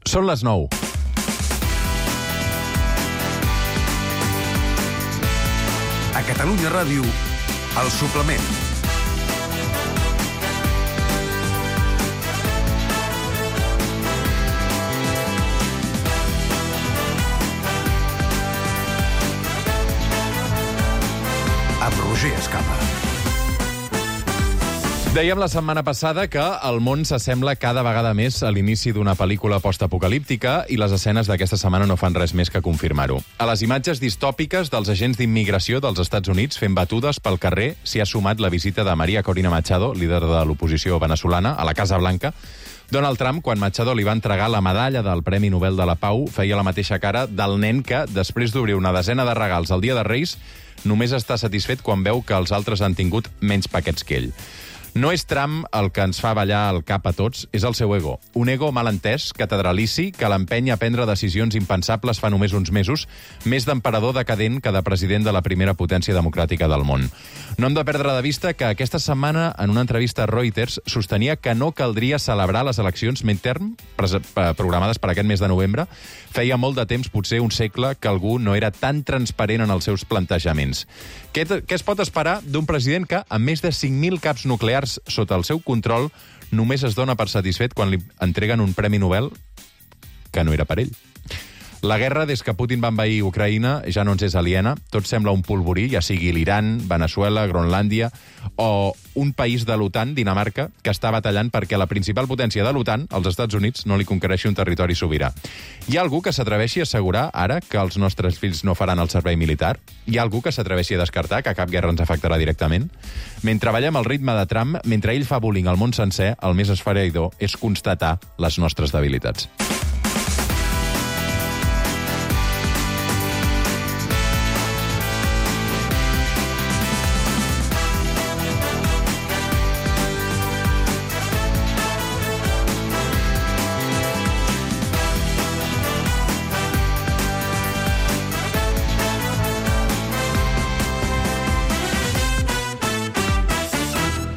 Són les 9. A Catalunya Ràdio, El Suplement. Amb Roger Escapa. Dèiem la setmana passada que el món s'assembla cada vegada més a l'inici d'una pel·lícula postapocalíptica i les escenes d'aquesta setmana no fan res més que confirmar-ho. A les imatges distòpiques dels agents d'immigració dels Estats Units fent batudes pel carrer s'hi ha sumat la visita de María Corina Machado, líder de l'oposició venezolana, a la Casa Blanca. Donald Trump, quan Machado li va entregar la medalla del Premi Nobel de la Pau, feia la mateixa cara del nen que, després d'obrir una desena de regals el dia de Reis, només està satisfet quan veu que els altres han tingut menys paquets que ell. No és Trump el que ens fa ballar el cap a tots, és el seu ego. Un ego mal entès, catedralici, que l'empeny a prendre decisions impensables fa només uns mesos, més d'emperador decadent que de president de la primera potència democràtica del món. No hem de perdre de vista que aquesta setmana, en una entrevista a Reuters, sostenia que no caldria celebrar les eleccions midterm programades per aquest mes de novembre. Feia molt de temps, potser un segle, que algú no era tan transparent en els seus plantejaments. Què es pot esperar d'un president que, amb més de 5.000 caps nuclears sota el seu control, només es dona per satisfet quan li entreguen un Premi Nobel que no era per ell? La guerra, des que Putin va envair Ucraïna, ja no ens és aliena. Tot sembla un polvorí, ja sigui l'Iran, Veneçuela, Groenlàndia o un país de l'OTAN, Dinamarca, que està batallant perquè la principal potència de l'OTAN, els Estats Units, no li conquereixi un territori sobirà. Hi ha algú que s'atreveixi a assegurar ara que els nostres fills no faran el servei militar? Hi ha algú que s'atreveixi a descartar que cap guerra ens afectarà directament? Mentre ballem al ritme de Trump, mentre ell fa bullying al món sencer, el més esfereïdor és constatar les nostres debilitats.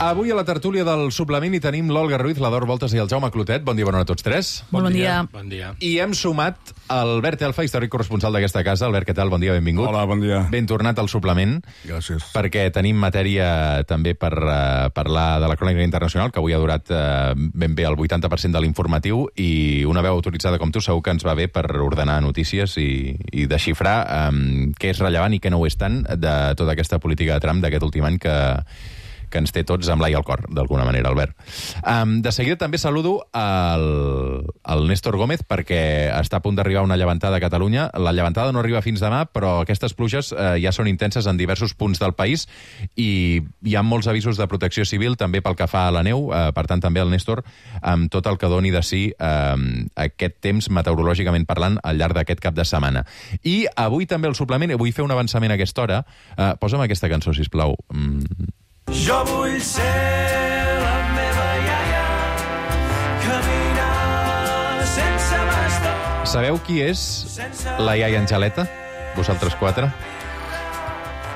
Avui a la tertúlia del suplement hi tenim l'Olga Ruiz, l'Ador Voltes i el Jaume Clotet. Bon dia, bona hora a tots tres. Bon dia. Bon dia. I hem sumat Albert Elfa, històric corresponsal d'aquesta casa. Albert, què tal? Bon dia, benvingut. Hola, bon dia. Ben tornat al suplement. Gràcies. Perquè tenim matèria també per parlar de la crònica internacional, que avui ha durat ben bé el 80% de l'informatiu, i una veu autoritzada com tu segur que ens va bé per ordenar notícies i desxifrar què és rellevant i què no ho és tant de tota aquesta política de Trump d'aquest últim any que ens té tots amb l'ai al cor, d'alguna manera, Albert. De seguida també saludo el Néstor Gómez, perquè està a punt d'arribar una llevantada a Catalunya. La llevantada no arriba fins demà, però aquestes pluges ja són intenses en diversos punts del país i hi ha molts avisos de protecció civil, també pel que fa a la neu. Per tant, també el Néstor, amb tot el que doni de si aquest temps, meteorològicament parlant, al llarg d'aquest cap de setmana. I avui també el suplement, vull fer un avançament a aquesta hora. Posa'm aquesta cançó, sisplau. Jo vull ser la meva iaia, caminar sense bastó. Sabeu qui és la iaia Angeleta? Vosaltres quatre?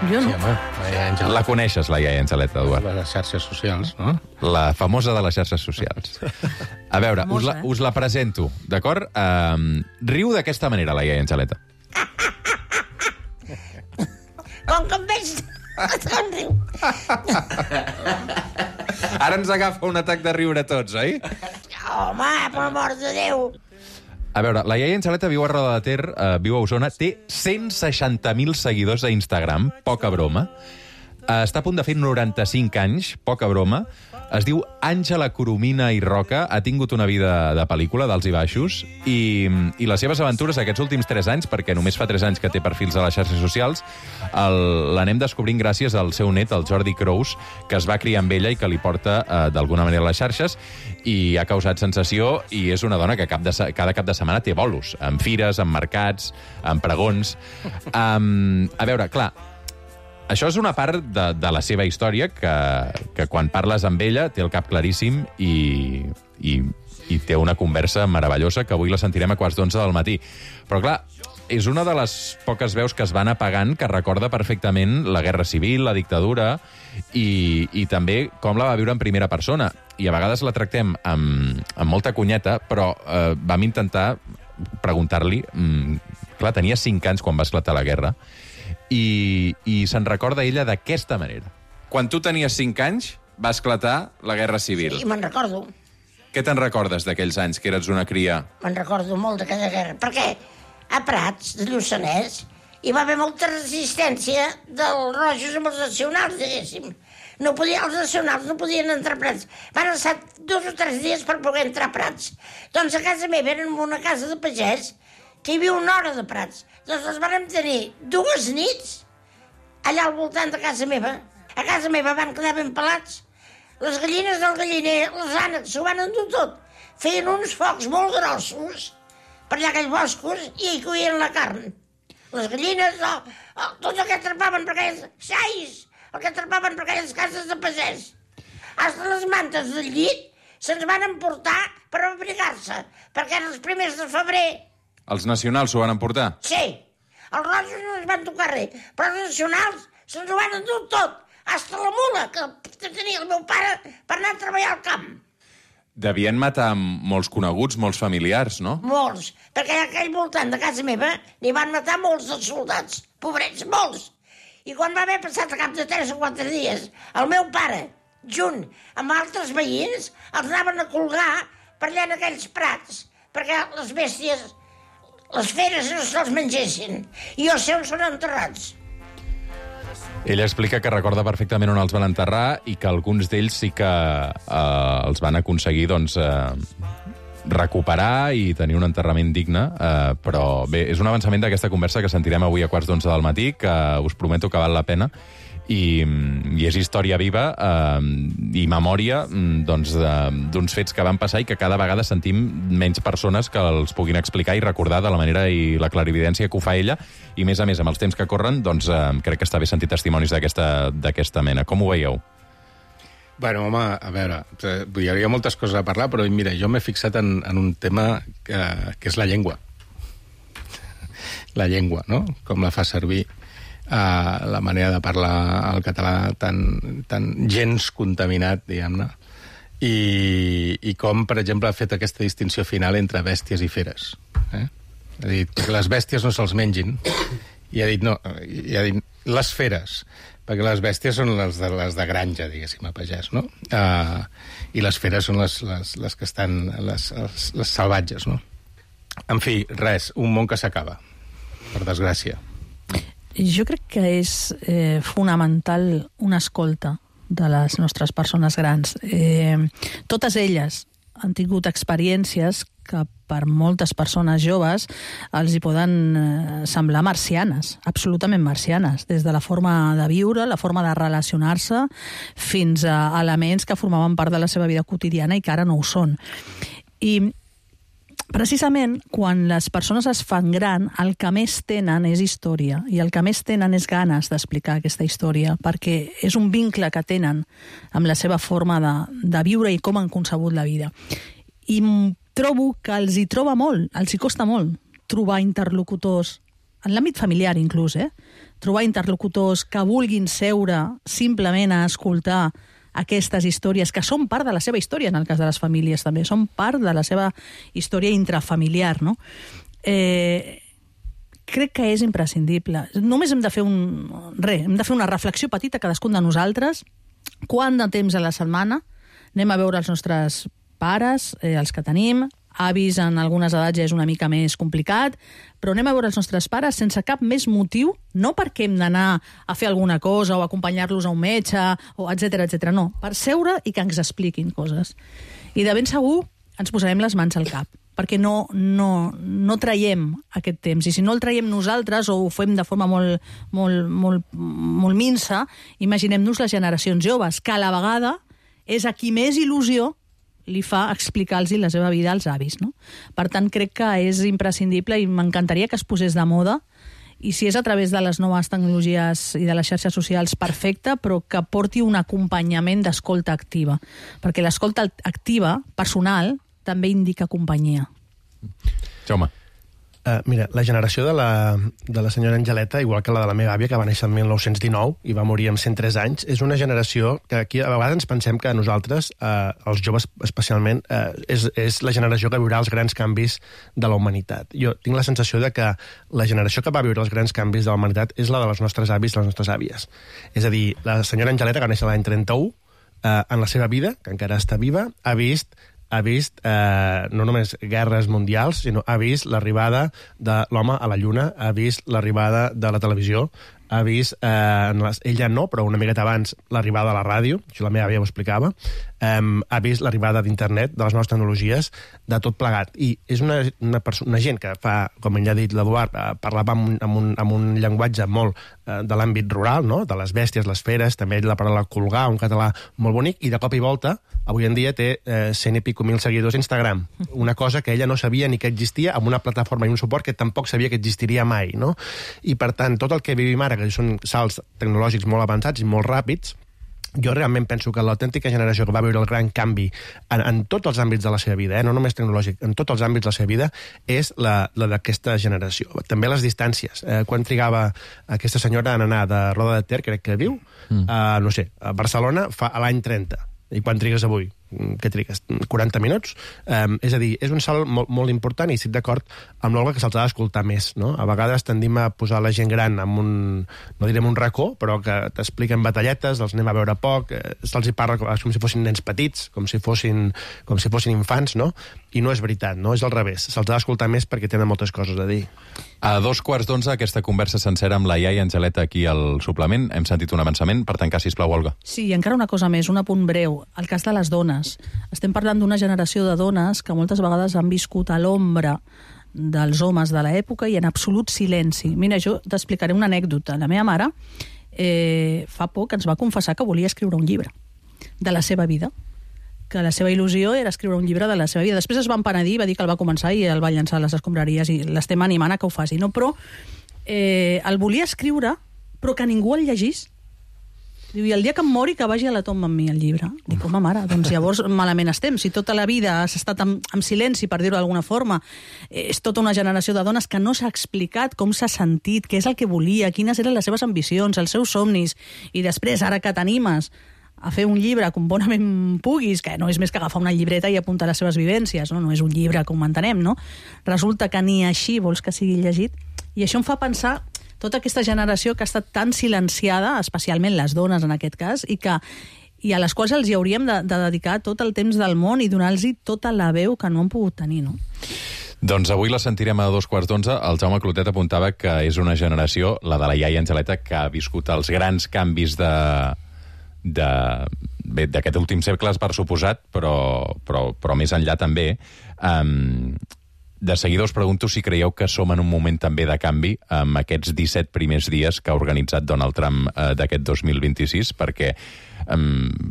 Jo no. Sí, home, la iaia Angeleta. La coneixes, la iaia Angeleta, Eduard? Les xarxes socials, no? La famosa de les xarxes socials. A veure, us la presento, d'acord? Riu d'aquesta manera, la iaia Angeleta. Com que em veig... Somriu. Ara ens agafa un atac de riure a tots, oi? Home, per amor de Déu. A veure, la iaia Angeleta viu a Roda de Ter, viu a Osona, té 160.000 seguidors a Instagram, poca broma. Està a punt de fer 95 anys, poca broma. Es diu Àngela Coromina i Roca, ha tingut una vida de pel·lícula, d'alts i baixos, i les seves aventures aquests últims 3 anys, perquè només fa 3 anys que té perfils a les xarxes socials, l'anem descobrint gràcies al seu net, el Jordi Crous, que es va criar amb ella i que li porta d'alguna manera a les xarxes, i ha causat sensació, i és una dona que cada cap de setmana té bolos, amb fires, amb mercats, amb pregons. A veure, clar, això és una part de la seva història que quan parles amb ella té el cap claríssim i té una conversa meravellosa que avui la sentirem a 11:15 del matí. Però clar, és una de les poques veus que es van apagant que recorda perfectament la Guerra Civil, la dictadura, i també com la va viure en primera persona. I a vegades la tractem amb molta cunyeta, però vam intentar preguntar-li... Clar, tenia 5 anys quan va esclatar la guerra, i se'n recorda ella d'aquesta manera. Quan tu tenies 5 anys, va esclatar la Guerra Civil. I me'n recordo. Què te'n recordes d'aquells anys, que eres una cria? Me'n recordo molt d'aquella guerra. Perquè a Prats, de Lluçanès, hi va haver molta resistència dels rojos amb els nacionals, diguéssim. Els nacionals no podien entrar a Prats. Van estar 2 o 3 dies per poder entrar a Prats. Doncs a casa meva eren una casa de pagès que hi havia 1 hora de Prats. Doncs els vam tenir 2 nits allà al voltant de casa meva. A casa meva van quedar ben pelats. Les gallines del galliner, les ànecs, s'ho van endur tot. Feien uns focs molt grossos per allà aquells boscos i hi coïen la carn. Les gallines, tot el que atrapaven per aquelles xais, el que atrapaven per aquelles cases de pagès. Hasta les mantes del llit se'ns van emportar per abrigar-se, perquè eren els primers de febrer. Els nacionals s'ho van emportar? Sí. Els rojos no ens van tocar res, però els nacionals se'ns ho van endur tot. Hasta la mula que tenia el meu pare per anar a treballar al camp. Devien matar molts coneguts, molts familiars, no? Molts, perquè a aquell voltant de casa meva n'hi van matar molts dels soldats. Pobrets, molts. I quan va haver passat a cap de 3 o 4 dies, el meu pare, junt amb altres veïns, els anaven a colgar per allà en aquells prats, perquè les bèsties, les feres no se'ls mengessin. I els seus són enterrats. Ella explica que recorda perfectament on els van enterrar i que alguns d'ells sí que els van aconseguir recuperar i tenir un enterrament digne, però bé, és un avançament d'aquesta conversa que sentirem avui a 11:15 del matí, que us prometo que val la pena, i és història viva i memòria d'uns fets que van passar i que cada vegada sentim menys persones que els puguin explicar i recordar de la manera i la clarividència que ho fa ella, i més a més, amb els temps que corren, doncs crec que està bé sentir testimonis d'aquesta mena. Com ho veieu? Bueno, home, a veure, hi hauria moltes coses a parlar, però mira, jo m'he fixat en un tema que és la llengua. La llengua, no? Com la fa servir, la manera de parlar el català tan gens contaminat, diguem-ne, i com, per exemple, ha fet aquesta distinció final entre bèsties i feres. Ha dit que les bèsties no se'ls mengin, i ha dit les feres, perquè les bèsties són les de granja, diguéssim, a pagès, no? I les feres són les que estan, les salvatges, no? En fi, res, un món que s'acaba, per desgràcia. Jo crec que és fonamental una escolta de les nostres persones grans. Totes elles han tingut experiències que per moltes persones joves els hi poden semblar marcianes, absolutament marcianes, des de la forma de viure, la forma de relacionar-se, fins a elements que formaven part de la seva vida quotidiana i que ara no ho són. I precisament, quan les persones es fan gran, el que més tenen és història, i el que més tenen és ganes d'explicar aquesta història, perquè és un vincle que tenen amb la seva forma de viure i com han concebut la vida. I trobo que els hi troba molt, els hi costa molt trobar interlocutors, en l'àmbit familiar inclús, trobar interlocutors que vulguin seure simplement a escoltar aquestes històries, que són part de la seva història, en el cas de les famílies també, són part de la seva història intrafamiliar, no? Crec que és imprescindible. Només hem de fer hem de fer una reflexió petita cadascun de nosaltres. Quant de temps a la setmana anem a veure els nostres pares, els que tenim, avis en algunes edats ja és una mica més complicat, però anem a veure els nostres pares sense cap més motiu, no perquè hem d'anar a fer alguna cosa o acompanyar-los a un metge, o etc, no, per seure i que ens expliquin coses. I de ben segur ens posarem les mans al cap, perquè no traiem aquest temps, i si no el traiem nosaltres o ho fem de forma molt minsa, imaginem-nos les generacions joves, que a la vegada és a qui més il·lusió li fa explicar-los la seva vida als avis, no? Per tant, crec que és imprescindible i m'encantaria que es posés de moda, i si és a través de les noves tecnologies i de les xarxes socials, perfecte, però que porti un acompanyament d'escolta activa, perquè l'escolta activa, personal, també indica companyia. Jaume. Mira, la generació de la senyora Angeleta, igual que la de la meva àvia, que va néixer el 1919 i va morir amb 103 anys, és una generació que aquí a vegades ens pensem que nosaltres, els joves especialment, és la generació que viurà els grans canvis de la humanitat. Jo tinc la sensació de que la generació que va viure els grans canvis de la humanitat és la de les nostres avis i les nostres àvies. És a dir, la senyora Angeleta, que va néixer l'any 31, en la seva vida, que encara està viva, ha vist no només guerres mundials, sinó ha vist l'arribada de l'home a la Lluna, ha vist l'arribada de la televisió, ha vist, ella no, però una miqueta abans, l'arribada de la ràdio, això la meva àvia ho explicava, ha vist l'arribada d'internet, de les noves tecnologies, de tot plegat. I és una gent que fa, com ell ha dit l'Eduard, parlava amb un llenguatge molt de l'àmbit rural, no? De les bèsties, les feres, també la paraula colgar, un català molt bonic, i de cop i volta, avui en dia té 100 i pico mil seguidors a Instagram, una cosa que ella no sabia ni que existia, amb una plataforma i un suport que tampoc sabia que existiria mai, no? I per tant, tot el que vivim ara, que són salts tecnològics molt avançats i molt ràpids, jo realment penso que l'autèntica generació que va viure el gran canvi en tots els àmbits de la seva vida, no només tecnològic, en tots els àmbits de la seva vida, és la d'aquesta generació. També les distàncies. Quan trigava aquesta senyora en anar de Roda de Ter, crec que viu, no sé, a Barcelona a l'any 30. I quan trigues avui? Què trigues? 40 minuts? És a dir, és un salt molt, molt important i estic d'acord amb l'Olga que se'ls ha d'escoltar més, no? A vegades tendim a posar la gent gran en no direm un racó, però que t'expliquen batalletes, els anem a veure poc, se'ls hi parla com si fossin nens petits, com si fossin infants, no? I no és veritat, no? És al revés. Se'ls ha d'escoltar més perquè tenen moltes coses a dir. A 2:15, aquesta conversa sencera amb la iaia Angeleta aquí al suplement. Hem sentit un avançament. Per tancar, sisplau, Olga. Sí, i encara una cosa més, un apunt breu. El cas de les dones. Estem parlant d'una generació de dones que moltes vegades han viscut a l'ombra dels homes de l'època i en absolut silenci. Mira, jo t'explicaré una anècdota. La meva mare fa poc ens va confessar que volia escriure un llibre de la seva vida, que la seva il·lusió era escriure un llibre de la seva vida. Després es va empenedir, va dir que el va començar i el va llançar a les escombraries i l'estem animant a que ho faci. No? Però el volia escriure, però que ningú el llegís. Diu, i el dia que em mori que vagi a la tomba amb mi el llibre. Dic, home, mare, doncs llavors malament estem. Si tota la vida has estat en silenci, per dir-ho d'alguna forma, és tota una generació de dones que no s'ha explicat com s'ha sentit, què és el que volia, quines eren les seves ambicions, els seus somnis, i després, ara que t'animes a fer un llibre com bonament puguis, que no és més que agafar una llibreta i apuntar les seves vivències, no és un llibre com entenem, no? Resulta que ni així vols que sigui llegit, i això em fa pensar tota aquesta generació que ha estat tan silenciada, especialment les dones en aquest cas, i a les quals els hi hauríem de dedicar tot el temps del món i donar-los tota la veu que no han pogut tenir, no? Doncs avui la sentirem a 2:15. El Jaume Clotet apuntava que és una generació, la de la iaia Angeleta, que ha viscut els grans canvis d'aquest últim segle, per suposat, però més enllà també. De seguida us pregunto si creieu que som en un moment també de canvi amb aquests 17 primers dies que ha organitzat Donald Trump d'aquest 2026, perquè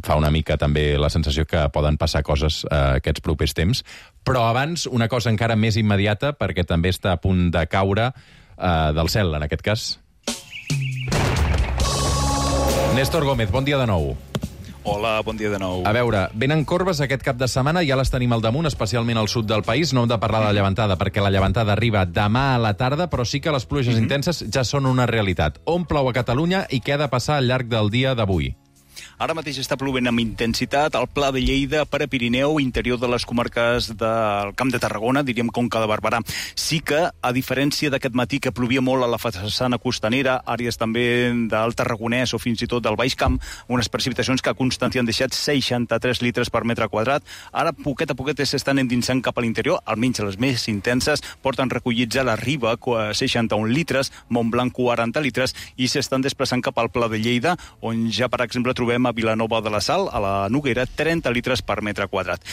fa una mica també la sensació que poden passar coses aquests propers temps. Però abans, una cosa encara més immediata, perquè també està a punt de caure del cel, en aquest cas. Néstor Gómez, bon dia de nou. Hola, bon dia de nou. A veure, venen corbes aquest cap de setmana, ja les tenim al damunt, especialment al sud del país. No hem de parlar de la llevantada, perquè la llevantada arriba demà a la tarda, però sí que les pluges intenses ja són una realitat. On plou a Catalunya i què ha de passar al llarg del dia d'avui? Ara mateix està plovent amb intensitat al Pla de Lleida, per a Pirineu, interior de les comarques del Camp de Tarragona, diríem Conca de Barberà. Sí que, a diferència d'aquest matí que plovia molt a la façana costanera, àrees també del Tarragonès o fins i tot del Baix Camp, unes precipitacions que a Constantí han deixat 63 litres per metre quadrat. Ara, poquet a poquet, s'estan endinsant cap a l'interior, almenys les més intenses, porten recollits a la Riba 61 litres, Montblanc 40 litres, i s'estan desplaçant cap al Pla de Lleida, on ja, per exemple, trobem a Vilanova de la Sal, a la Noguera, 30 litres per metre quadrat.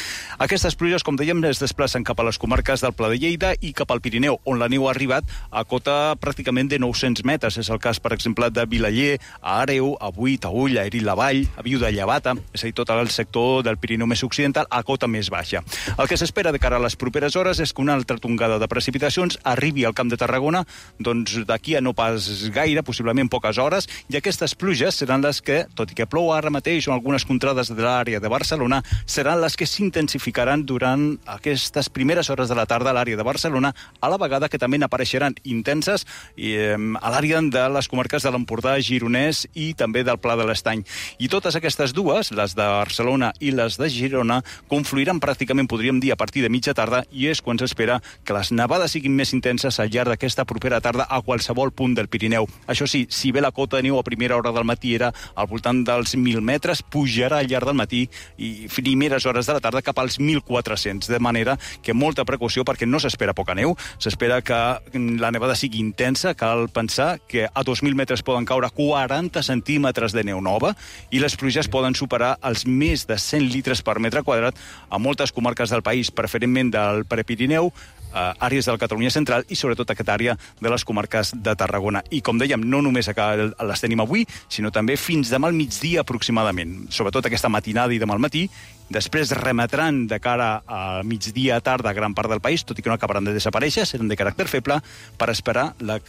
Aquestes pluges, com dèiem, es desplacen cap a les comarques del Pla de Lleida i cap al Pirineu, on la neu ha arribat a cota pràcticament de 900 metres. És el cas, per exemple, de Vilaller, a Àreu, a Buit, a Ull, a Erit-la-Vall, a Viu de Llevata, és a dir, tot el sector del Pirineu més occidental, a cota més baixa. El que s'espera de cara a les properes hores és que una altra tongada de precipitacions arribi al Camp de Tarragona, doncs d'aquí a no pas gaire, possiblement poques hores, i aquestes pluges seran les que, tot i que plou ara, ara mateix o algunes contrades de l'àrea de Barcelona seran les que s'intensificaran durant aquestes primeres hores de la tarda a l'àrea de Barcelona, a la vegada que també n'apareixeran intenses a l'àrea de les comarques de l'Empordà, Gironès i també del Pla de l'Estany. I totes aquestes dues, les de Barcelona i les de Girona, confluiran pràcticament, podríem dir, a partir de mitja tarda, i és quan s'espera que les nevades siguin més intenses al llarg d'aquesta propera tarda a qualsevol punt del Pirineu. Això sí, si bé la cota de neu a primera hora del matí era al voltant dels 1.000 metres, pujarà al llarg del matí i primeres hores de la tarda cap als 1.400, de manera que molta precaució perquè no s'espera poca neu, s'espera que la nevada sigui intensa, cal pensar que a 2.000 metres poden caure 40 centímetres de neu nova i les pluges poden superar els més de 100 litres per metre quadrat a moltes comarques del país, preferentment del Prepirineu, àrees de la Catalunya central i sobretot aquesta àrea de les comarques de Tarragona. I com dèiem, no només les tenim avui, sinó també fins demà al migdia aproximadament, sobretot aquesta matinada i demà al matí. Després remetran de cara a migdia tarda a gran part del país, tot i que no acabaran de desaparèixer, seran de caràcter feble per esperar la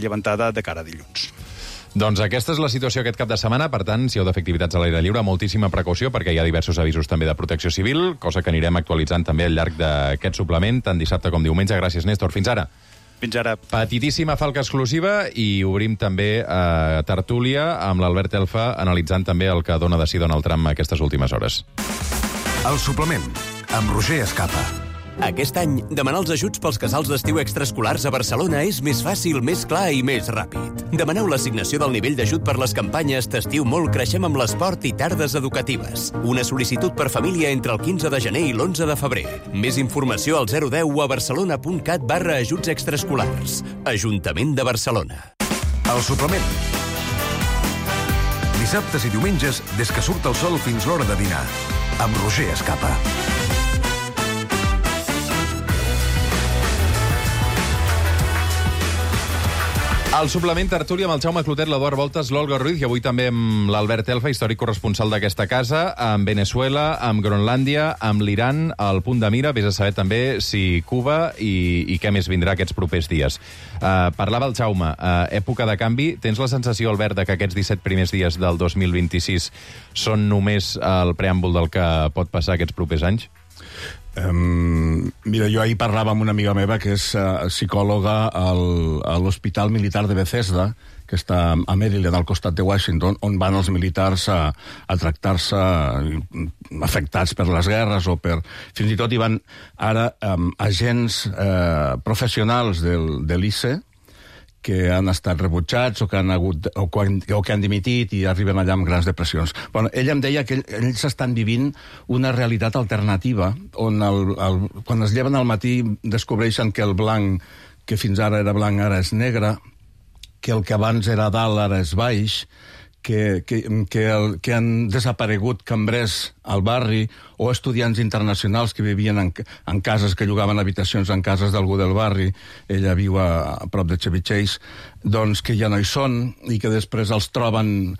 llevantada de cara a dilluns. Doncs aquesta és la situació aquest cap de setmana, per tant, si heu de fer activitats a l'aire lliure, moltíssima precaució, perquè hi ha diversos avisos també de protecció civil, cosa que anirem actualitzant també al llarg d'aquest suplement, tant dissabte com diumenge. Gràcies, Néstor. Fins ara. Fins ara. Petitíssima falca exclusiva i obrim també tertúlia amb l'Albert Elfa, analitzant també el que dona de si Donald Trump aquestes últimes hores. El suplement, amb Roger Escapa. Aquest any, demanar els ajuts pels casals d'estiu extraescolars a Barcelona és més fàcil, més clar i més ràpid. Demaneu l'assignació del nivell d'ajut per les campanyes T'estiu molt, creixem amb l'esport i tardes educatives. Una sol·licitud per família entre el 15 de gener i l'11 de febrer. Més informació al 010 o a barcelona.cat/ajuts extraescolars. Ajuntament de Barcelona. El suplement. Dissabtes i diumenges, des que surt el sol fins l'hora de dinar. Amb Roger Escapa. El suplement tertúlia amb el Jaume Clotet, l'Eduard Voltes, l'Olga Ruiz i avui també amb l'Albert Elfa, històric corresponsal d'aquesta casa, amb Venezuela, amb Groenlàndia, amb l'Iran, al punt de mira. Vés a saber també si Cuba i què més vindrà aquests propers dies. Parlava el Jaume, època de canvi. Tens la sensació, Albert, de que aquests 17 primers dies del 2026 són només el preàmbul del que pot passar aquests propers anys? Mira, jo ahir parlava amb una amiga meva que és psicòloga a l'Hospital Militar de Bethesda, que està a Maryland, al costat de Washington, on van els militars a tractar-se afectats per les guerres o per... Fins i tot hi van ara agents professionals de l'ICE que han estat rebutjats o que han dimitit i arriben allà amb grans depressions. Bueno, ella em deia que ells estan vivint una realitat alternativa on quan es lleven al matí descobreixen que el blanc, que fins ara era blanc, ara és negre, que el que abans era dalt ara és baix, que han desaparegut cambrers al barri o estudiants internacionals que vivien en cases, que llogaven habitacions en cases d'algú del barri. Ella viu a prop de Chevy Chase, doncs que ja no hi són i que després els troben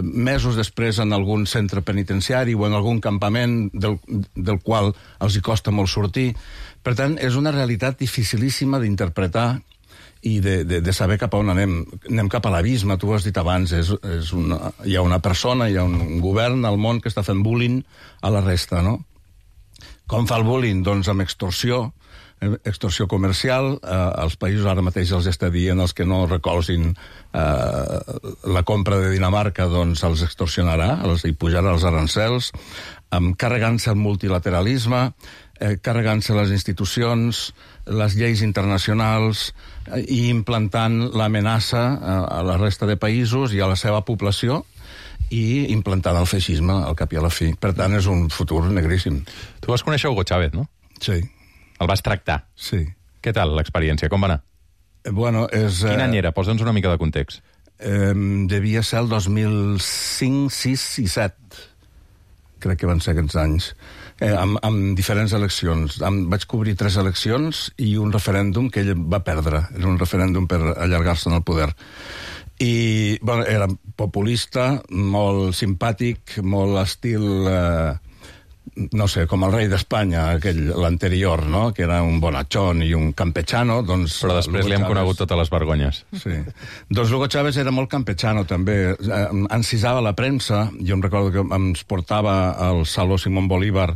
mesos després en algun centre penitenciari o en algun campament del qual els hi costa molt sortir. Per tant, és una realitat dificilíssima d'interpretar i de saber cap a on anem. Anem cap a l'abisme, tu ho has dit abans, hi ha una persona, hi ha un govern al món que està fent bullying a la resta, no? Com fa el bullying? Doncs amb extorsió comercial. Els països ara mateix els està dient els que no recolzin la compra de Dinamarca, doncs els extorsionarà, els hi pujarà els arancels, carregant-se el multilateralisme, carregant-se les institucions, les lleis internacionals i implantant l'amenaça a la resta de països i a la seva població i implantant el feixisme al cap i a la fi. Per tant, és un futur negríssim. Tu vas conèixer Hugo Chávez, no? Sí. El vas tractar? Sí. Què tal l'experiència? Com va anar? Bueno, Quin any era? Posa'ns una mica de context. Devia ser el 2005, 6 i 7. Crec que van ser aquests anys. Amb diferents eleccions. Vaig cobrir 3 eleccions i un referèndum que ell va perdre. Era un referèndum per allargar-se en el poder. I era populista, molt simpàtic, molt estil no sé, com el rei d'Espanya, l'anterior, no?, que era un bonachón i un campechano, doncs... Però després li hem conegut totes les vergonyes. Sí. Doncs Hugo Chávez era molt campechano, també. Encisava la premsa. Jo em recordo que ens portava al Saló Simón Bolívar,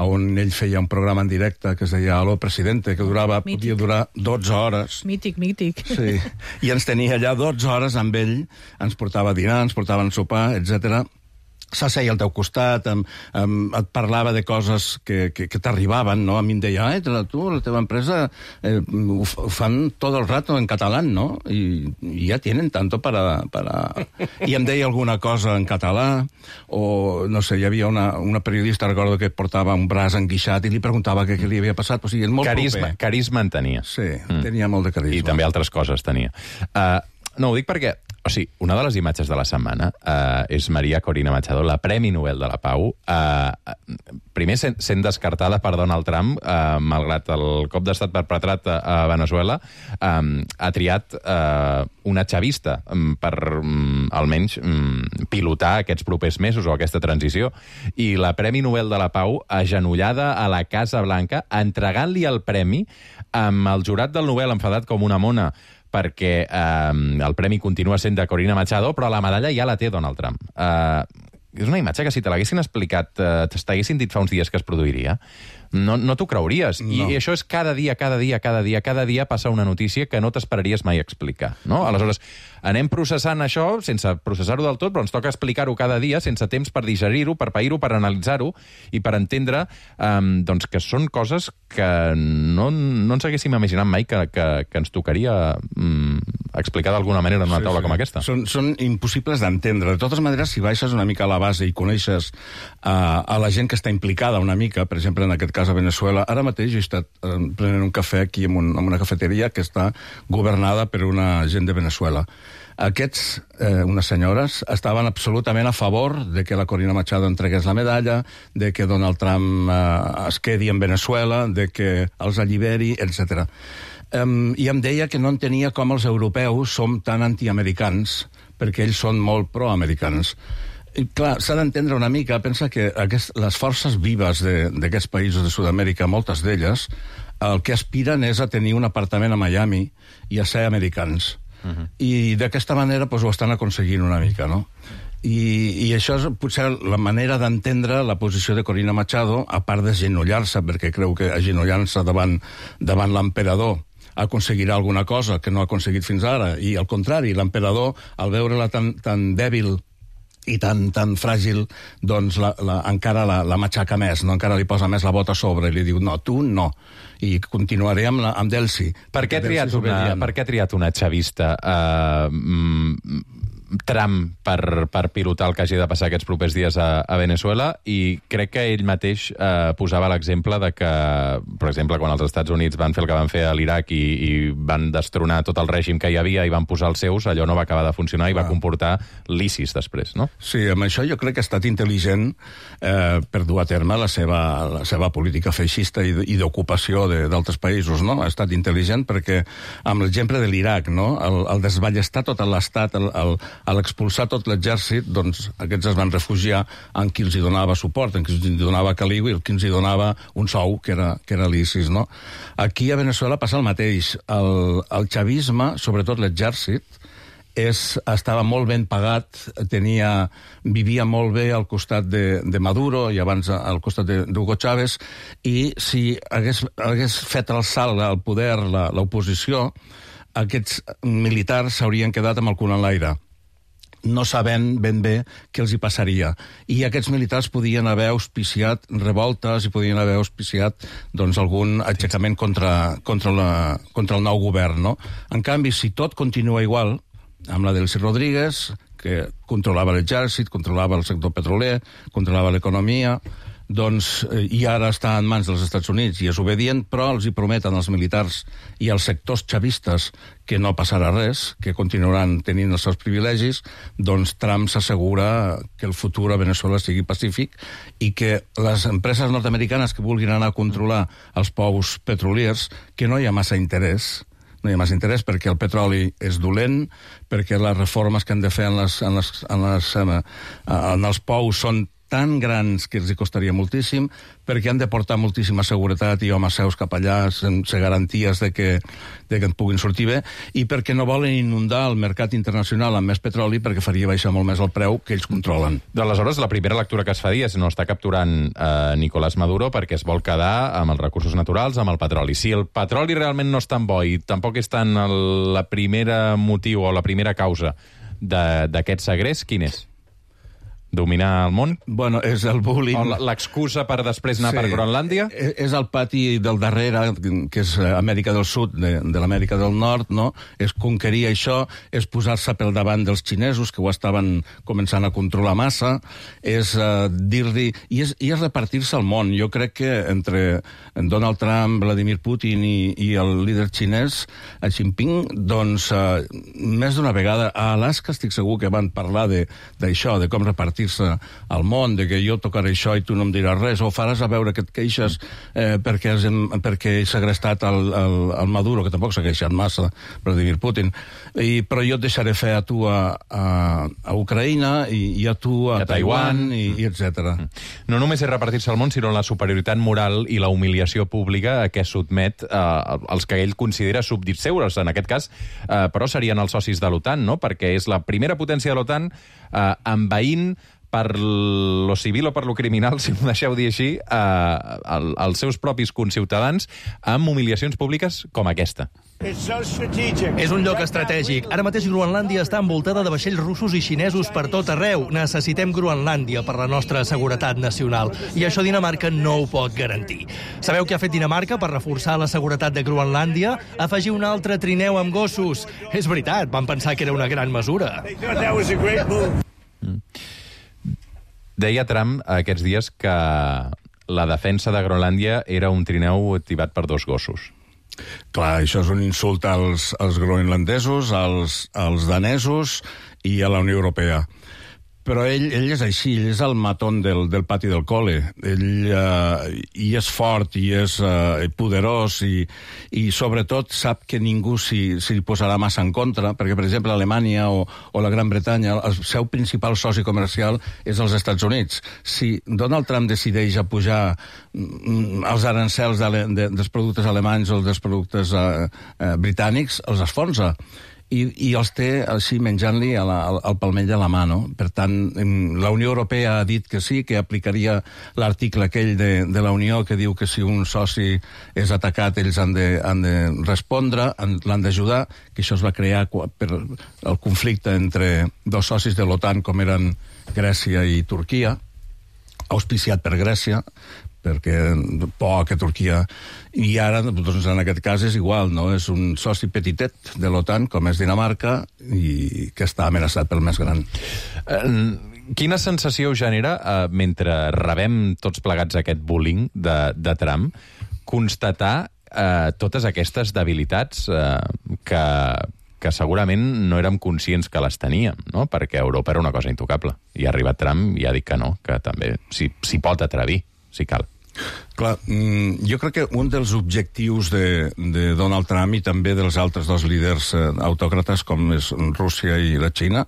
on ell feia un programa en directe que es deia Aló, presidente, que podia durar 12 hores. Mític. Sí. I ens tenia allà 12 hores amb ell, ens portava a dinar, ens portava a sopar, etc. S'asseia al teu costat, et parlava de coses que t'arribaven, no? A mi em deia, tu, la teva empresa ho fan tot el rato en català, no? I ja tienen tanto para... I em deia alguna cosa en català, o, no sé, hi havia una periodista, recordo, que portava un braç enguixat i li preguntava què li havia passat. O sigui, és molt proper. Carisma en tenia. Sí, tenia molt de carisma. I també altres coses tenia. No, ho dic perquè, o sigui, una de les imatges de la setmana és Maria Corina Machado, la Premi Nobel de la Pau, primer sent descartada per Donald Trump, malgrat el cop d'estat perpetrat a Venezuela, ha triat una chavista per almenys pilotar aquests propers mesos o aquesta transició. I la Premi Nobel de la Pau, agenollada a la Casa Blanca, entregant-li el premi amb el jurat del Nobel enfadat com una mona, perquè el premi continua sent de Corina Machado, però la medalla ja la té Donald Trump. És una imatge que si te l'haguessin explicat, t'haguessin dit fa uns dies que es produiria, no t'ho creuries. No. I això és cada dia passa una notícia que no t'esperaries mai explicar. No? Aleshores, anem processant això sense processar-ho del tot, però ens toca explicar-ho cada dia sense temps per digerir-ho, per pair-ho, per analitzar-ho i per entendre doncs que són coses que no ens haguéssim imaginat mai que ens tocaria explicar d'alguna manera en una taula com aquesta. Són impossibles d'entendre. De totes maneres, si baixes una mica a la base i coneixes a la gent que està implicada una mica, per exemple, en aquest cas a Venezuela, ara mateix he estat prenent un cafè aquí en una cafeteria que està governada per una gent de Venezuela. Aquests, unes senyores, estaven absolutament a favor de que la Corina Machado entregués la medalla, de que Donald Trump es quedi en Venezuela, de que els alliberi, etc. I em deia que no entenia com els europeus som tan antiamericans, perquè ells són molt proamericans. I, clar, s'ha d'entendre una mica, pensa que les forces vives d'aquests països de Sud-amèrica, moltes d'elles, el que aspiren és a tenir un apartament a Miami i a ser americans. I d'aquesta manera ho estan aconseguint una mica, no? I això és potser la manera d'entendre la posició de Corina Machado, a part d'agenollar-se, perquè creu que agenollant-se davant l'emperador aconseguirà alguna cosa que no ha aconseguit fins ara, i al contrari, l'emperador, al veure-la tan dèbil i tan fràgil, doncs encara la matxaca més, no? Encara li posa més la bota a sobre i li diu, no, tu no, i continuaré amb Delcy. Per què ha triat una chavista Trump per pilotar el que hagi de passar aquests propers dies a Venezuela? I crec que ell mateix posava l'exemple de que, per exemple, quan els Estats Units van fer el que van fer a l'Iraq i van destronar tot el règim que hi havia i van posar els seus, allò no va acabar de funcionar i va comportar l'ISIS després, no? Sí, amb això jo crec que ha estat intel·ligent per dur a terme la seva política feixista i d'ocupació d'altres països, no? Ha estat intel·ligent perquè, amb l'exemple de l'Iraq, no? El desballestar tot l'estat, a l'expulsar tot l'exèrcit, doncs aquests es van refugiar en qui els hi donava suport, en qui els hi donava caliu i en qui els hi donava un sou, que era l'ISIS, no? Aquí a Venezuela passa el mateix. El chavisme, sobretot l'exèrcit, estava molt ben pagat, vivia molt bé al costat de Maduro i abans al costat d'Hugo Chávez, i si hagués fet el salt al poder l'oposició, aquests militars s'haurien quedat amb el cul en l'aire, no sabent ben bé què els hi passaria. I aquests militars podien haver auspiciat revoltes i podien haver auspiciat algun aixecament contra el nou govern, no? En canvi, si tot continua igual, amb la Delcy Rodríguez, que controlava l'exèrcit, controlava el sector petroler, controlava l'economia, i ara està en mans dels Estats Units i és obedient, però els hi prometen als militars i als sectors chavistes que no passarà res, que continuaran tenint els seus privilegis, doncs Trump s'assegura que el futur a Venezuela sigui pacífic i que les empreses nord-americanes que vulguin anar a controlar els pous petroliers, que no hi ha massa interès, perquè el petroli és dolent, perquè les reformes que han de fer en els pous són tan grans que els costaria moltíssim, perquè han de portar moltíssima seguretat i homes seus cap allà sense garanties de que en puguin sortir bé, i perquè no volen inundar el mercat internacional amb més petroli perquè faria baixar molt més el preu que ells controlen. D'aleshores, la primera lectura que es fa és no està capturant Nicolás Maduro perquè es vol quedar amb els recursos naturals, amb el petroli. Si el petroli realment no és tan bo i tampoc és tan la primera motiu o la primera causa d'aquest segrest, quin és? Dominar el món? Bueno, és el bullying. O l'excusa per després anar per Groenlàndia? És el pati del darrere, que és Amèrica del Sud, de l'Amèrica del Nord, no? És conquerir això, és posar-se pel davant dels xinesos, que ho estaven començant a controlar massa, és dir-li... I és repartir-se el món. Jo crec que entre Donald Trump, Vladimir Putin i el líder xinès, Xi Jinping, doncs, més d'una vegada, a Alaska estic segur que van parlar d'això, de com repartir al món, de que jo tocaré això i tu no em diràs res, o faràs a veure que et queixes perquè he segrestat el Maduro, que tampoc s'ha queixat massa, Vladimir Putin, però jo et deixaré fer a tu a Ucraïna i a tu a Taiwan, i etc. No només és repartir-se al món, sinó la superioritat moral i la humiliació pública a què sotmet els que ell considera súbdits seus, en aquest cas, però serien els socis de l'OTAN, no? Perquè és la primera potència de l'OTAN envaint per lo civil o per lo criminal, si m'ho deixeu dir així, els seus propis conciutadans amb humiliacions públiques com aquesta. És un lloc estratègic. Ara mateix Groenlàndia està envoltada de vaixells russos i xinesos per tot arreu. Necessitem Groenlàndia per la nostra seguretat nacional. I això Dinamarca no ho pot garantir. Sabeu què ha fet Dinamarca per reforçar la seguretat de Groenlàndia? Afegir un altre trineu amb gossos. És veritat, van pensar que era una gran mesura. Deia Trump aquests dies que la defensa de Groenlàndia era un trineu tibat per 2 gossos. Clar, això és un insult als groenlandesos, als danesos i a la Unió Europea. Però ell és així, ell és el matón del pati del col·le. Ell i és fort, i és poderós, i sobretot sap que ningú s'hi posarà massa en contra, perquè, per exemple, Alemanya o la Gran Bretanya, el seu principal soci comercial és els Estats Units. Si Donald Trump decideix a pujar els arancels dels productes alemanys o dels productes britànics, els esfonsa. I els té així menjant-li el palmell a la mà, no? Per tant, la Unió Europea ha dit que sí, que aplicaria l'article aquell de la Unió que diu que si un soci és atacat ells han de respondre, l'han d'ajudar, que això es va crear per el conflicte entre 2 socis de l'OTAN com eren Grècia i Turquia, auspiciat per Grècia, perquè por que Turquia... I ara, doncs, en aquest cas és igual, no? És un soci petitet de l'OTAN, com és Dinamarca, i que està amenaçat pel més gran. Quina sensació genera, mentre rebem tots plegats aquest bullying de Trump, constatar totes aquestes debilitats que segurament no érem conscients que les teníem, no? Perquè Europa era una cosa intocable. I ha arribat Trump i ha dit que no, que també s'hi pot atrevir, si cal. Clar, jo crec que un dels objectius de Donald Trump i també dels altres 2 líders autòcrates com és Rússia i la Xina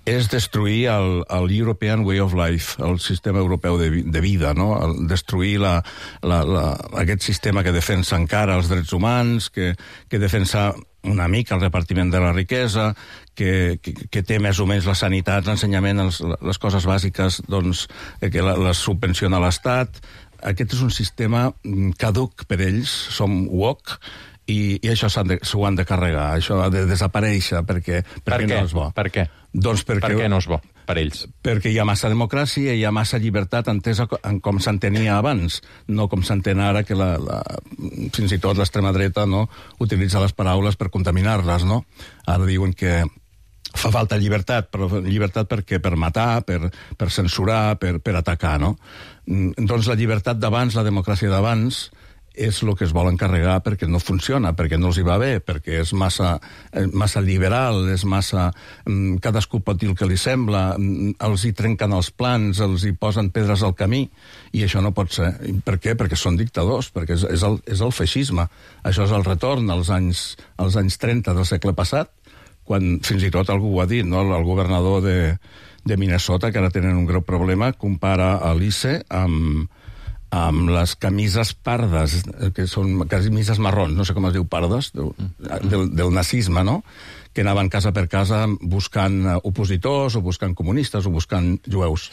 és destruir el European Way of Life, el sistema europeu de vida, no? Destruir aquest sistema que defensa encara els drets humans, que defensa una mica el repartiment de la riquesa, que té més o menys la sanitat, l'ensenyament, les coses bàsiques, doncs, que les subvenciona l'Estat. Aquest és un sistema caduc per ells, som woke, i això s'ho han de carregar, això ha de desaparèixer, perquè no és bo. Per què? Doncs per què no és bo, per ells? Perquè hi ha massa democràcia, hi ha massa llibertat entesa com s'entenia abans, no com s'entén ara, que fins i tot l'extrema dreta utilitza les paraules per contaminar-les, no? Ara diuen que fa falta llibertat, però llibertat per matar, per censurar, per atacar, no? Doncs la llibertat d'abans, la democràcia d'abans, és el que es vol encarregar perquè no funciona, perquè no els hi va bé, perquè és massa liberal, és massa... Cadascú pot dir el que li sembla, els hi trenquen els plans, els hi posen pedres al camí, i això no pot ser. Per què? Perquè són dictadors, perquè és el feixisme. Això és el retorn als anys 30 del segle passat, quan fins i tot algú ho ha dit, no? El governador de Minnesota, que ara tenen un greu problema, compara a l'ICE amb les camises pardes, que són camises marrons, no sé com es diu, pardes, del nazisme, no? Que anaven casa per casa buscant opositors, o buscant comunistes, o buscant jueus.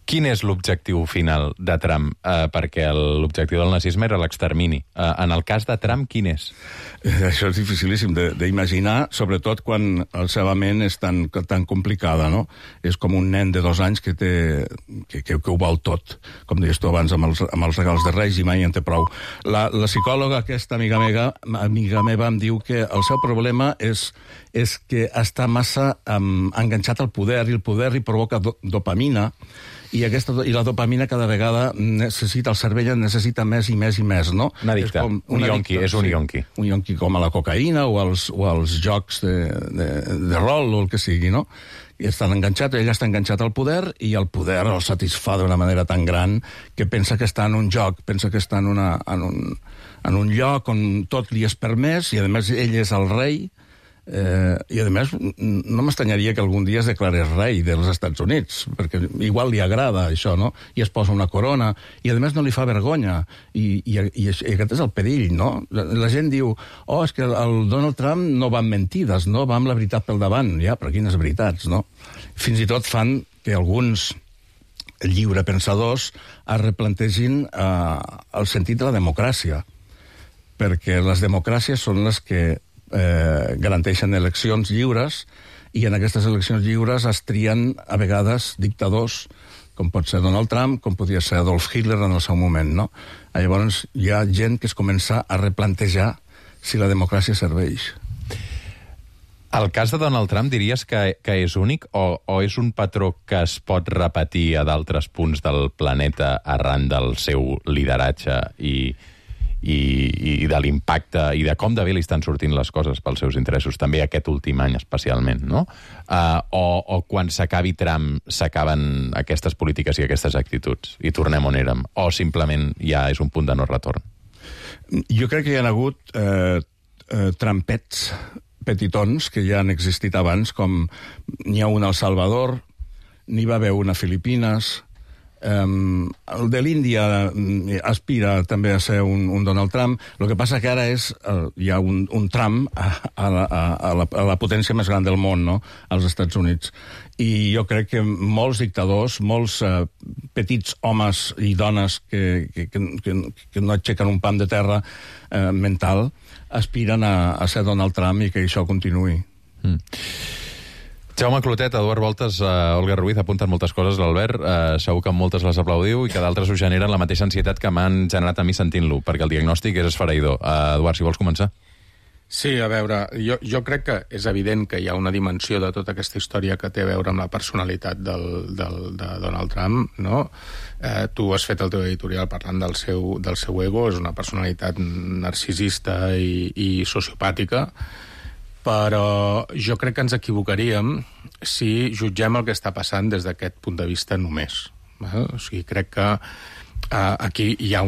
Quin és l'objectiu final de Trump? Perquè l'objectiu del nazisme era l'extermini. En el cas de Trump, quin és? Això és dificilíssim d'imaginar, sobretot quan la seva ment és tan complicada, no? És com un nen de 2 anys que ho vol tot. Com deies tu abans, amb els regals de Reis i mai en té prou. La psicòloga, aquesta amiga meva, em diu que el seu problema és que està massa enganxat al poder, i el poder li provoca dopamina, i la dopamina cada vegada el cervell necessita més i més i més, no? Un addicte, un yonqui. Un yonqui com a la cocaïna o als jocs de rol o el que sigui, no? I ell està enganxat al poder, i el poder el satisfà d'una manera tan gran que pensa que està en un joc, pensa que està en un lloc on tot li és permès, i a més ell és el rei. I a més no m'estranyaria que algun dia es declarés rei dels Estats Units, perquè igual li agrada això, no? I es posa una corona, i a més no li fa vergonya, i aquest és el perill, no? La gent diu, és que el Donald Trump no va amb mentides, no va amb la veritat pel davant. Ja, però quines veritats, no? Fins i tot fan que alguns lliurepensadors es replantegin el sentit de la democràcia, perquè les democràcies són les que garanteixen eleccions lliures, i en aquestes eleccions lliures es trien a vegades dictadors, com pot ser Donald Trump, com podia ser Adolf Hitler en el seu moment, no? Llavors hi ha gent que es comença a replantejar si la democràcia serveix. El cas de Donald Trump diries que és únic, o és un patró que es pot repetir a d'altres punts del planeta arran del seu lideratge i de l'impacte i de com de bé li estan sortint les coses pels seus interessos, també aquest últim any especialment, no? O quan s'acabi Trump s'acaben aquestes polítiques i aquestes actituds i tornem on érem, o simplement ja és un punt de no retorn? Jo crec que hi ha hagut trampets petitons que ja han existit abans, com n'hi ha un al Salvador, n'hi va haver una a Filipines. El de l'Índia aspira també a ser un Donald Trump. El que passa que ara hi ha un Trump a la potència més gran del món, no? Als Estats Units. I jo crec que molts dictadors, molts petits homes i dones que no aixequen un pam de terra mental, aspiren a ser Donald Trump i que això continuï. Jaume Clotet, Eduard Voltes, Olga Ruiz, apunten moltes coses, l'Albert. Segur que moltes les aplaudiu i que d'altres us generen la mateixa ansietat que m'han generat a mi sentint-lo, perquè el diagnòstic és esfereïdor. Eduard, si vols començar. Sí, a veure, jo crec que és evident que hi ha una dimensió de tota aquesta història que té a veure amb la personalitat de Donald Trump, no? Tu has fet el teu editorial parlant del seu ego, és una personalitat narcisista i sociopàtica, però jo crec que ens equivocaríem si jutgem el que està passant des d'aquest punt de vista només. O sigui, crec que aquí hi ha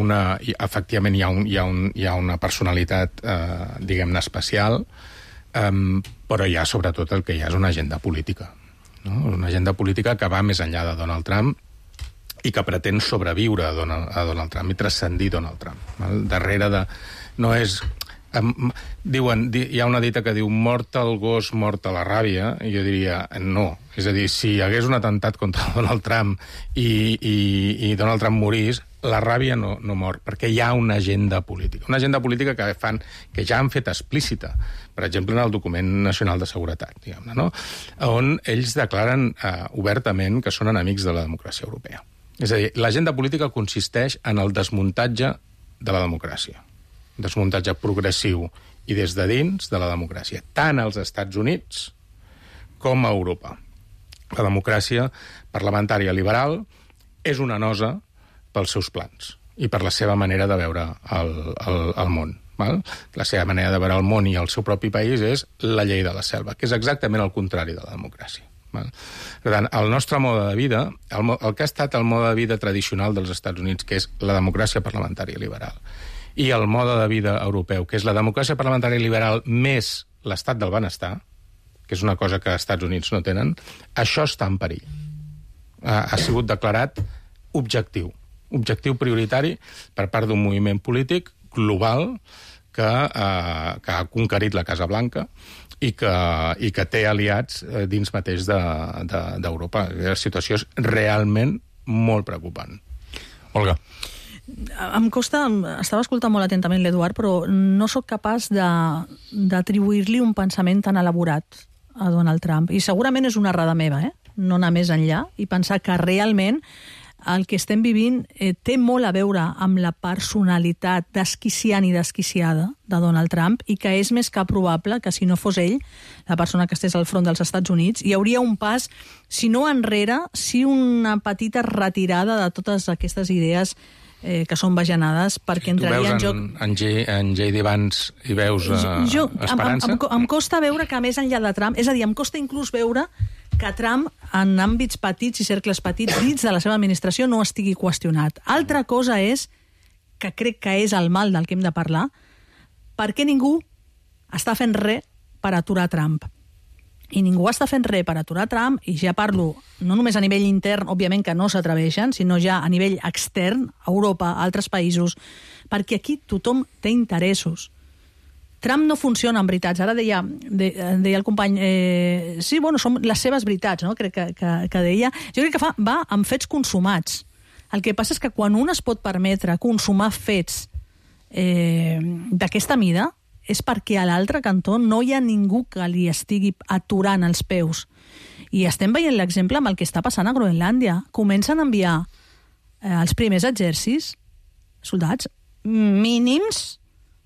efectivament hi ha una personalitat, diguem-ne, especial, però hi ha sobretot el que hi ha és una agenda política, no? Una agenda política que va més enllà de Donald Trump i que pretén sobreviure a Donald Trump i transcendir Donald Trump. Darrere de... no és... Diuen, hi ha una dita que diu mort el gos, mort a la ràbia, i jo diria no. És a dir, si hi hagués un atemptat contra Donald Trump i Donald Trump morís, la ràbia no mor, perquè hi ha una agenda política. Una agenda política que ja han fet explícita, per exemple, en el document nacional de seguretat, diguem-ne, no? On ells declaren obertament que són enemics de la democràcia europea. És a dir, l'agenda política consisteix en el desmuntatge de la democràcia. Desmuntatge progressiu i des de dins de la democràcia, tant als Estats Units com a Europa. La democràcia parlamentària liberal és una nosa pels seus plans i per la seva manera de veure el món. Val? La seva manera de veure el món i el seu propi país és la llei de la selva, que és exactament el contrari de la democràcia. Val? Per tant, el nostre mode de vida, el que ha estat el mode de vida tradicional dels Estats Units, que és la democràcia parlamentària liberal, i el mode de vida europeu, que és la democràcia parlamentària liberal més l'estat del benestar, que és una cosa que els Estats Units no tenen, això està en perill. Ha sigut declarat objectiu prioritari per part d'un moviment polític global que ha conquerit la Casa Blanca i que té aliats dins mateix d'Europa. La situació és realment molt preocupant. Olga. Em costa, estava escoltant molt atentament l'Eduard, però no sóc capaç d'atribuir-li un pensament tan elaborat a Donald Trump. I segurament és una errada meva, no anar més enllà i pensar que realment el que estem vivint té molt a veure amb la personalitat desquiciant i desquiciada de Donald Trump i que és més que probable que si no fos ell, la persona que estés al front dels Estats Units, hi hauria un pas, si no enrere, si una petita retirada de totes aquestes idees que són bajanades, perquè entraria en joc... Tu veus en J.D. Vance i veus esperança? Em costa veure que més enllà de Trump, és a dir, em costa inclús veure que Trump, en àmbits petits i cercles petits dins de la seva administració, no estigui qüestionat. Altra cosa és, que crec que és el mal del que hem de parlar, per què ningú està fent res per aturar Trump. I ningú està fent res per aturar Trump, i ja parlo no només a nivell intern, òbviament que no s'atreveixen, sinó ja a nivell extern, a Europa, a altres països, perquè aquí tothom té interessos. Trump no funciona amb veritats. Ara deia el company... sí, bueno, són les seves veritats, no? Crec que deia. Jo crec que va amb fets consumats. El que passa és que quan un es pot permetre consumar fets d'aquesta mida és perquè a l'altre cantó no hi ha ningú que li estigui aturant els peus. I estem veient l'exemple amb el que està passant a Groenlàndia. Comencen a enviar els primers exèrcits, soldats mínims,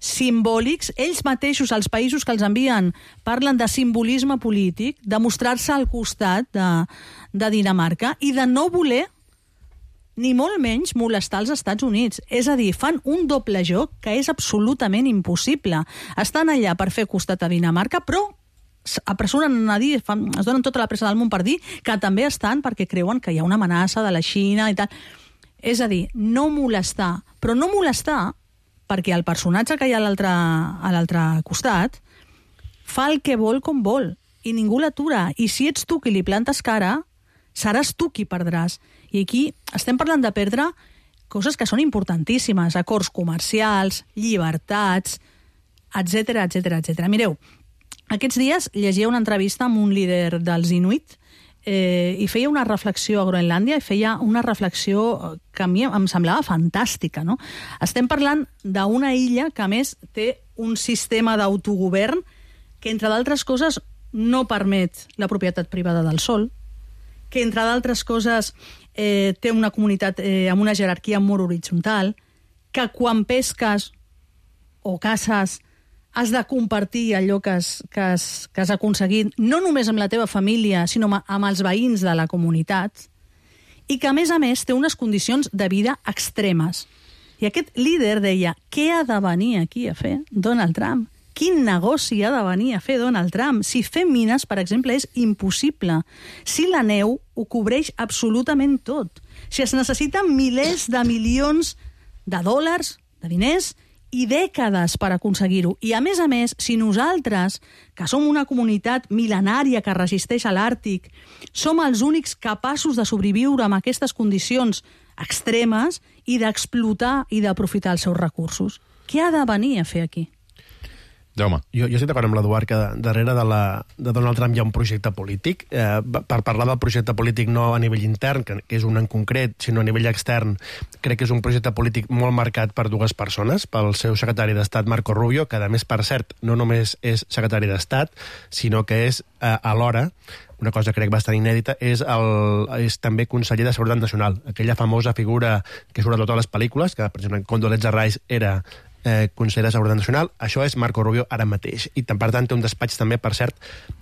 simbòlics, ells mateixos, els països que els envien, parlen de simbolisme polític, de mostrar-se al costat de Dinamarca i de no voler ni molt menys molestar els Estats Units. És a dir, fan un doble joc que és absolutament impossible. Estan allà per fer costat a Dinamarca, però apressuren a dir, es donen tota la pressa del món per dir que també estan perquè creuen que hi ha una amenaça de la Xina i tal. És a dir, no molestar, però no molestar perquè el personatge que hi ha a l'altre costat fa el que vol com vol i ningú l'atura. I si ets tu qui li plantes cara, seràs tu qui perdràs. I aquí estem parlant de perdre coses que són importantíssimes, acords comercials, llibertats, etc etc. Mireu, aquests dies llegia una entrevista amb un líder dels Inuit i feia una reflexió a Groenlàndia, i feia una reflexió que a mi em semblava fantàstica, no? Estem parlant d'una illa que, a més, té un sistema d'autogovern que, entre d'altres coses, no permet la propietat privada del sòl, que, entre d'altres coses, té una comunitat amb una jerarquia molt horitzontal, que quan pesques o caces has de compartir allò que has aconseguit, no només amb la teva família, sinó amb els veïns de la comunitat, i que, a més, té unes condicions de vida extremes. I aquest líder deia, què ha de venir aquí a fer Donald Trump? Quin negoci ha de venir a fer Donald Trump? Si fer mines, per exemple, és impossible. Si la neu ho cobreix absolutament tot. Si es necessiten milers de milions de dòlars, de diners, i dècades per aconseguir-ho. I, a més, si nosaltres, que som una comunitat mil·lenària que resisteix a l'Àrtic, som els únics capaços de sobreviure amb aquestes condicions extremes i d'explotar i d'aprofitar els seus recursos, què ha de venir a fer aquí? Jaume. Jo estic d'acord amb l'Eduard que darrere de Donald Trump hi ha un projecte polític. Per parlar del projecte polític no a nivell intern, que és un en concret, sinó a nivell extern, crec que és un projecte polític molt marcat per dues persones, pel seu secretari d'Estat, Marco Rubio, que, a més, per cert, no només és secretari d'Estat, sinó que és, alhora, una cosa crec bastant inèdita, és també conseller de Seguretat Nacional, aquella famosa figura que surt a totes les pel·lícules, que, per exemple, Condoleezza Rice era conseller de Seguretat Nacional. Això és Marco Rubio ara mateix. I, per tant, té un despatx també, per cert,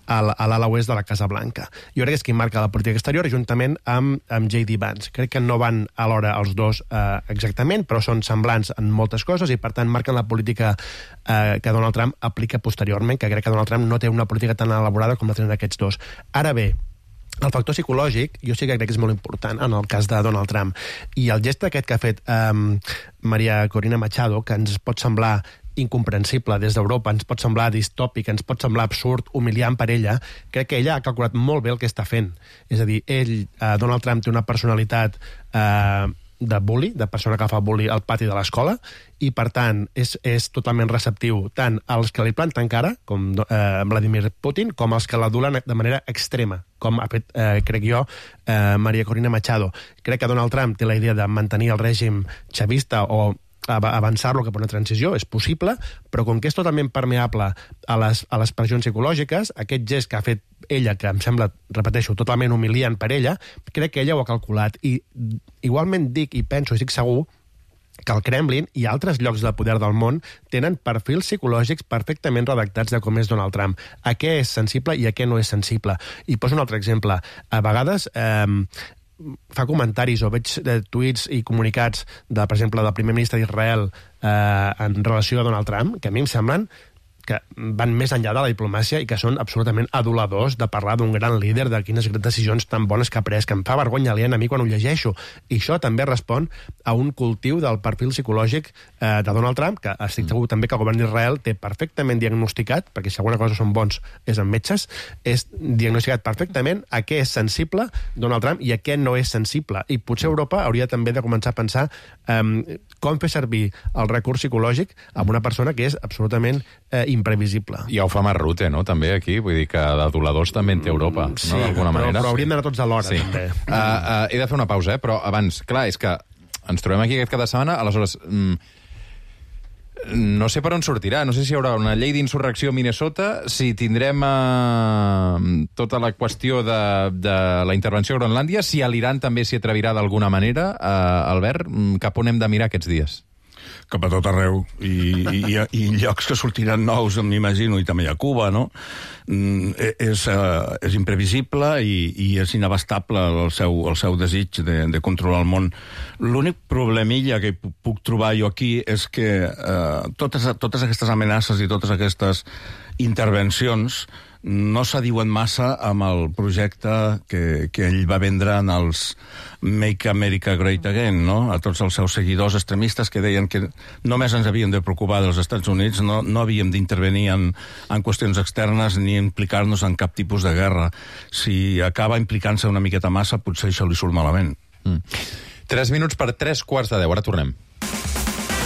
a l'ala oest de la Casa Blanca. Jo crec que és qui marca la política exterior, juntament amb J.D. Vance. Crec que no van alhora els dos exactament, però són semblants en moltes coses i, per tant, marquen la política que Donald Trump aplica posteriorment, que crec que Donald Trump no té una política tan elaborada com la tenen aquests dos. Ara bé, el factor psicològic, jo sí que crec que és molt important en el cas de Donald Trump. I el gest aquest que ha fet Maria Corina Machado, que ens pot semblar incomprensible des d'Europa, ens pot semblar distòpic, ens pot semblar absurd, humiliant per ella, crec que ella ha calculat molt bé el que està fent. És a dir, Donald Trump té una personalitat de bully, de persona que fa bully al pati de l'escola, i per tant és totalment receptiu tant als que li planten cara, com Vladimir Putin, com als que l'adulen de manera extrema, com ha fet, crec jo, María Corina Machado. Crec que Donald Trump té la idea de mantenir el règim xavista o avançar-lo cap a una transició, és possible, però com que és totalment permeable a les pressions psicològiques, aquest gest que ha fet ella, que em sembla, repeteixo, totalment humiliant per ella, crec que ella ho ha calculat. I igualment dic i penso i estic segur que el Kremlin i altres llocs de poder del món tenen perfils psicològics perfectament redactats de com és Donald Trump, a què és sensible i a què no és sensible. I poso un altre exemple. A vegades fa comentaris o veig tuits i comunicats, per exemple, del primer ministre d'Israel en relació a Donald Trump, que a mi em semblen que van més enllà de la diplomàcia i que són absolutament aduladors de parlar d'un gran líder, de quines decisions tan bones que ha pres, que em fa vergonya aliena a mi quan ho llegeixo. I això també respon a un cultiu del perfil psicològic de Donald Trump, que estic segur també que el govern d'Israel té perfectament diagnosticat, perquè si alguna cosa són bons és en metges, és diagnosticat perfectament a què és sensible Donald Trump i a què no és sensible. I potser Europa hauria també de començar a pensar com fer servir el recurs psicològic amb una persona que és absolutament imprevisible. Ja ho fa Mark Rutte, no?, també, aquí. Vull dir que d'aduladors també en té Europa, sí, no?, d'alguna manera. Però hauríem d'anar tots alhora, sí. També. He de fer una pausa, però abans, clar, és que ens trobem aquí aquest cap de setmana, aleshores, no sé per on sortirà, no sé si hi haurà una llei d'insurrecció a Minnesota, si tindrem tota la qüestió de la intervenció a Groenlàndia, si a l'Iran també s'hi atrevirà d'alguna manera, Albert, cap on hem de mirar aquests dies? Cap a tot arreu, i llocs que sortiran nous, m'imagino, i també a Cuba, no? És imprevisible i és inabastable el seu desig de controlar el món. L'únic problemilla que puc trobar jo aquí és que totes aquestes amenaces i totes aquestes intervencions no s'adiuen massa amb el projecte que ell va vendre en els Make America Great Again, no? A tots els seus seguidors extremistes que deien que només ens havíem de preocupar dels Estats Units, no havíem d'intervenir en qüestions externes ni implicar-nos en cap tipus de guerra. Si acaba implicant-se una miqueta massa, potser això li surt malament. 3 minuts per 3:15. Ara tornem.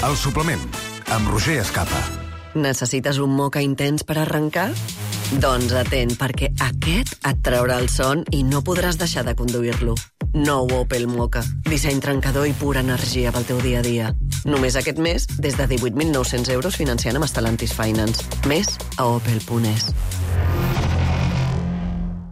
El suplement, amb Roger Escapa. Necessites un moca intens per arrencar? Doncs atent, perquè aquest et traurà el son i no podràs deixar de conduir-lo. Nou Opel Moka. Disseny trencador i pura energia pel teu dia a dia. Només aquest mes, des de 18.900 euros financiant amb Stellantis Finance. Més a opel.es.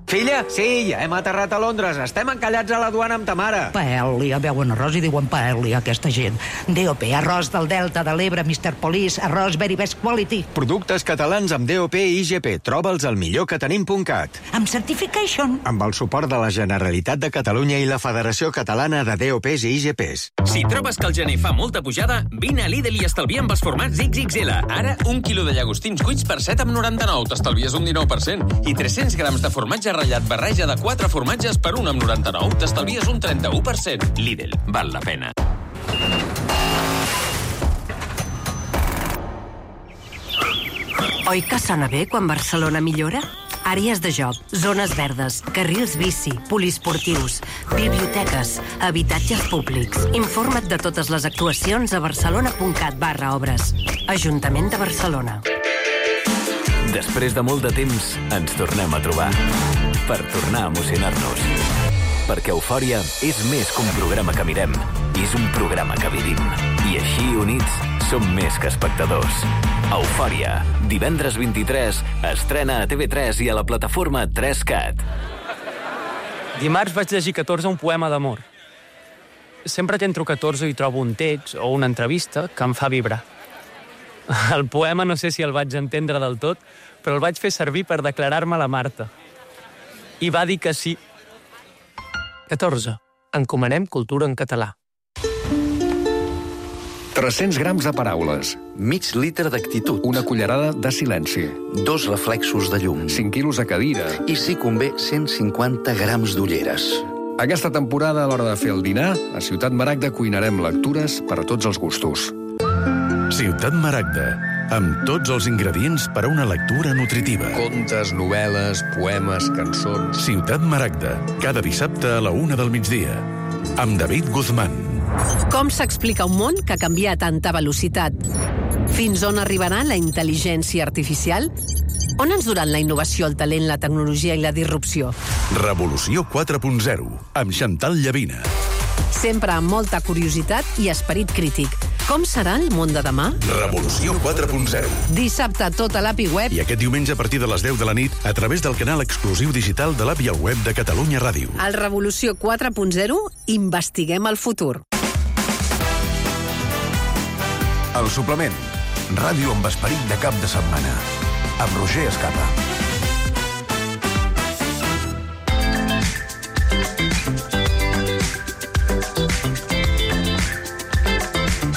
Filla, sí, ja hem aterrat a Londres. Estem encallats a la duana amb ta mare. Paella, veuen arròs i diuen paella, aquesta gent. DOP, arròs del Delta de l'Ebre, Mr. Police, arròs very best quality. Productes catalans amb DOP i IGP. Troba'ls al millorquetenim.cat. Amb certification. Amb el suport de la Generalitat de Catalunya i la Federació Catalana de DOPs i IGPs. Si trobes que el gener fa molta pujada, vine a Lidl i estalvia amb els formats XXL. Ara, 1 quilo de llagostins cuits per 7,99. T'estalvies un 19%. I 300 grams de formatge ratllat barreja de 4 formatges per 1,99. T'estalvies un 31%. Lidl, val la pena. Oi que sona bé quan Barcelona millora? Àrees de joc, zones verdes, carrils bici, poliesportius, biblioteques, habitatges públics. Informa't de totes les actuacions a barcelona.cat/obres. Ajuntament de Barcelona. Després de molt de temps, ens tornem a trobar. Per tornar a emocionar-nos. Perquè Eufòria és més que un programa que mirem. És un programa que vivim. I així, units, som més que espectadors. Eufòria, divendres 23, estrena a TV3 i a la plataforma 3Cat. Dimarts vaig llegir 14 un poema d'amor. Sempre que entro 14 hi trobo un text o una entrevista que em fa vibrar. El poema no sé si el vaig entendre del tot, però el vaig fer servir per declarar-me a la Marta. I va dir que sí. 14. Encomanem cultura en català. 300 grams de paraules. Mig litre d'actitud. Una cullerada de silenci. 2 reflexos de llum. 5 quilos de cadira. I si convé, 150 grams d'ulleres. Aquesta temporada, a l'hora de fer el dinar, a Ciutat Maragda cuinarem lectures per a tots els gustos. Ciutat Maragda, amb tots els ingredients per a una lectura nutritiva. Contes, novel·les, poemes, cançons... Ciutat Maragda, cada dissabte a la 1 del migdia, amb David Guzmán. Com s'explica un món que canvia a tanta velocitat? Fins on arribarà la intel·ligència artificial? On ens duran la innovació, el talent, la tecnologia i la disrupció? Revolució 4.0, amb Chantal Llavina. Sempre amb molta curiositat i esperit crític. Com serà el món de demà? Revolució 4.0. Dissabte tot a l'API Web. I aquest diumenge a partir de les 10 de la nit a través del canal exclusiu digital de l'API al web de Catalunya Ràdio. Al Revolució 4.0 investiguem el futur. El suplement. Ràdio amb esperit de cap de setmana. Amb Roger Escapa.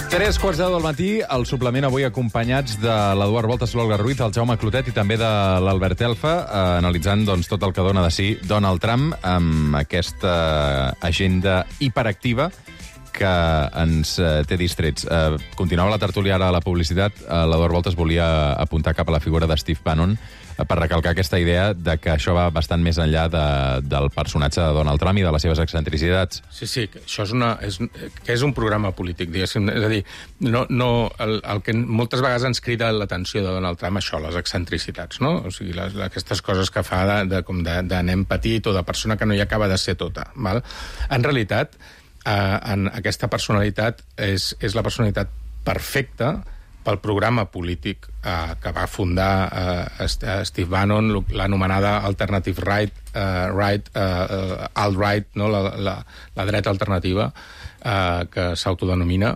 Tres quarts de 10 del matí, el suplement avui acompanyats de l'Eduard Voltas, l'Olga Ruiz, el Jaume Clotet i també de l'Albert Elfa, analitzant tot el que dona de si Donald Trump amb aquesta agenda hiperactiva que ens té distrets. Continuava la tertúlia ara a la publicitat. L'Eduard Voltas volia apuntar cap a la figura de Steve Bannon per recalcar aquesta idea de que això va bastant més enllà del personatge de Donald Trump i de les seves excentricitats. Sí, que això és un programa polític, diguéssim. És a dir, el que moltes vegades ens crida l'atenció de Donald Trump, això, les excentricitats, no? O sigui, aquestes coses que fa de nen petit o de persona que no hi acaba de ser tota. Val? En realitat, en aquesta personalitat és la personalitat perfecta pel programa polític que va fundar Steve Bannon, l'anomenada Alternative Right, alt-right, no? la dreta alternativa, que s'autodenomina,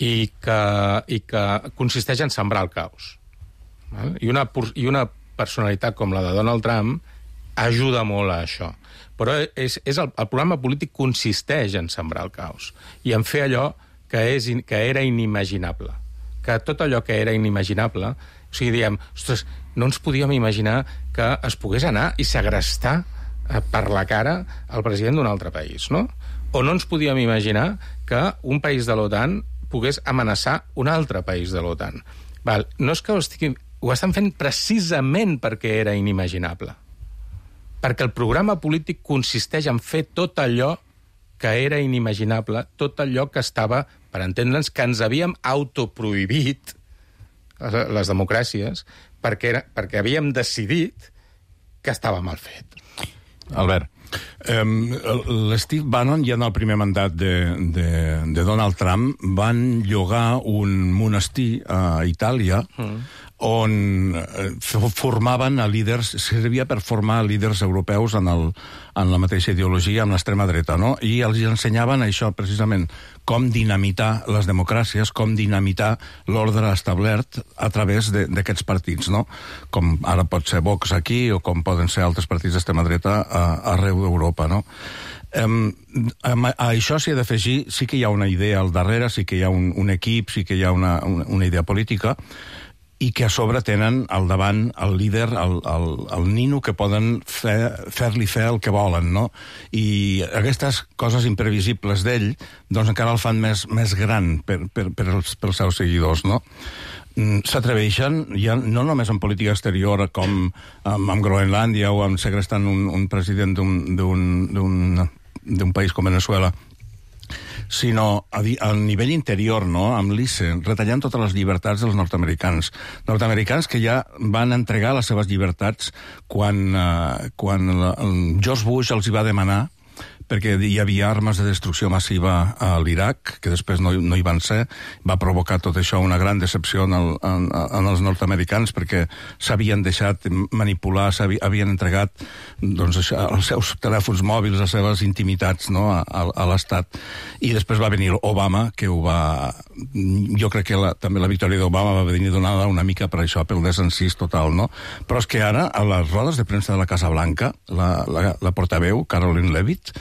i que consisteix en sembrar el caos. Val? I una personalitat com la de Donald Trump ajuda molt a això. Però el programa polític consisteix en sembrar el caos i en fer allò que era inimaginable. Que tot allò que era inimaginable, o sigui, diem, ostres, no ens podíem imaginar que es pogués anar i segrestar per la cara el president d'un altre país, no? O no ens podíem imaginar que un país de l'OTAN pogués amenaçar un altre país de l'OTAN. No és que ho estan fent precisament perquè era inimaginable. Perquè el programa polític consisteix en fer tot allò que era inimaginable, tot allò que estava, per entendre'ns, que ens havíem autoprohibit, les democràcies, perquè havíem decidit que estava mal fet. Albert. L'Steve Bannon, ja en el primer mandat de Donald Trump, van llogar un monestir a Itàlia on formaven a líders, servia per formar líders europeus en la mateixa ideologia, amb l'extrema dreta, no? I els ensenyaven això, precisament, com dinamitar les democràcies, com dinamitar l'ordre establert a través d'aquests partits, no? Com ara pot ser Vox aquí, o com poden ser altres partits d'extrema dreta arreu d'Europa, no? A això s'hi ha d'afegir, sí que hi ha una idea al darrere, sí que hi ha un equip, sí que hi ha una idea política, i que a sobre tenen al davant el líder, el nino, que poden fer-li fer el que volen, no? I aquestes coses imprevisibles d'ell, doncs encara el fan més gran pels seus seguidors, no? S'atreveixen, ja no només en política exterior, com amb Groenlàndia o amb segrestant un president d'un país com Venezuela, sinó a nivell interior, no? Amb l'ICE, retallant totes les llibertats dels nord-americans que ja van entregar les seves llibertats quan George Bush els hi va demanar, perquè hi havia armes de destrucció massiva a l'Iraq, que després no hi van ser. Va provocar tot això una gran decepció en els nord-americans, perquè s'havien deixat manipular, havien entregat els seus telèfons mòbils, les seves intimitats, no? a l'Estat. I després va venir Obama, que ho va... Jo crec que també la victòria d'Obama va venir donada una mica per això, pel desencís total, no? Però és que ara, a les rodes de premsa de la Casa Blanca, la portaveu, Caroline Leavitt,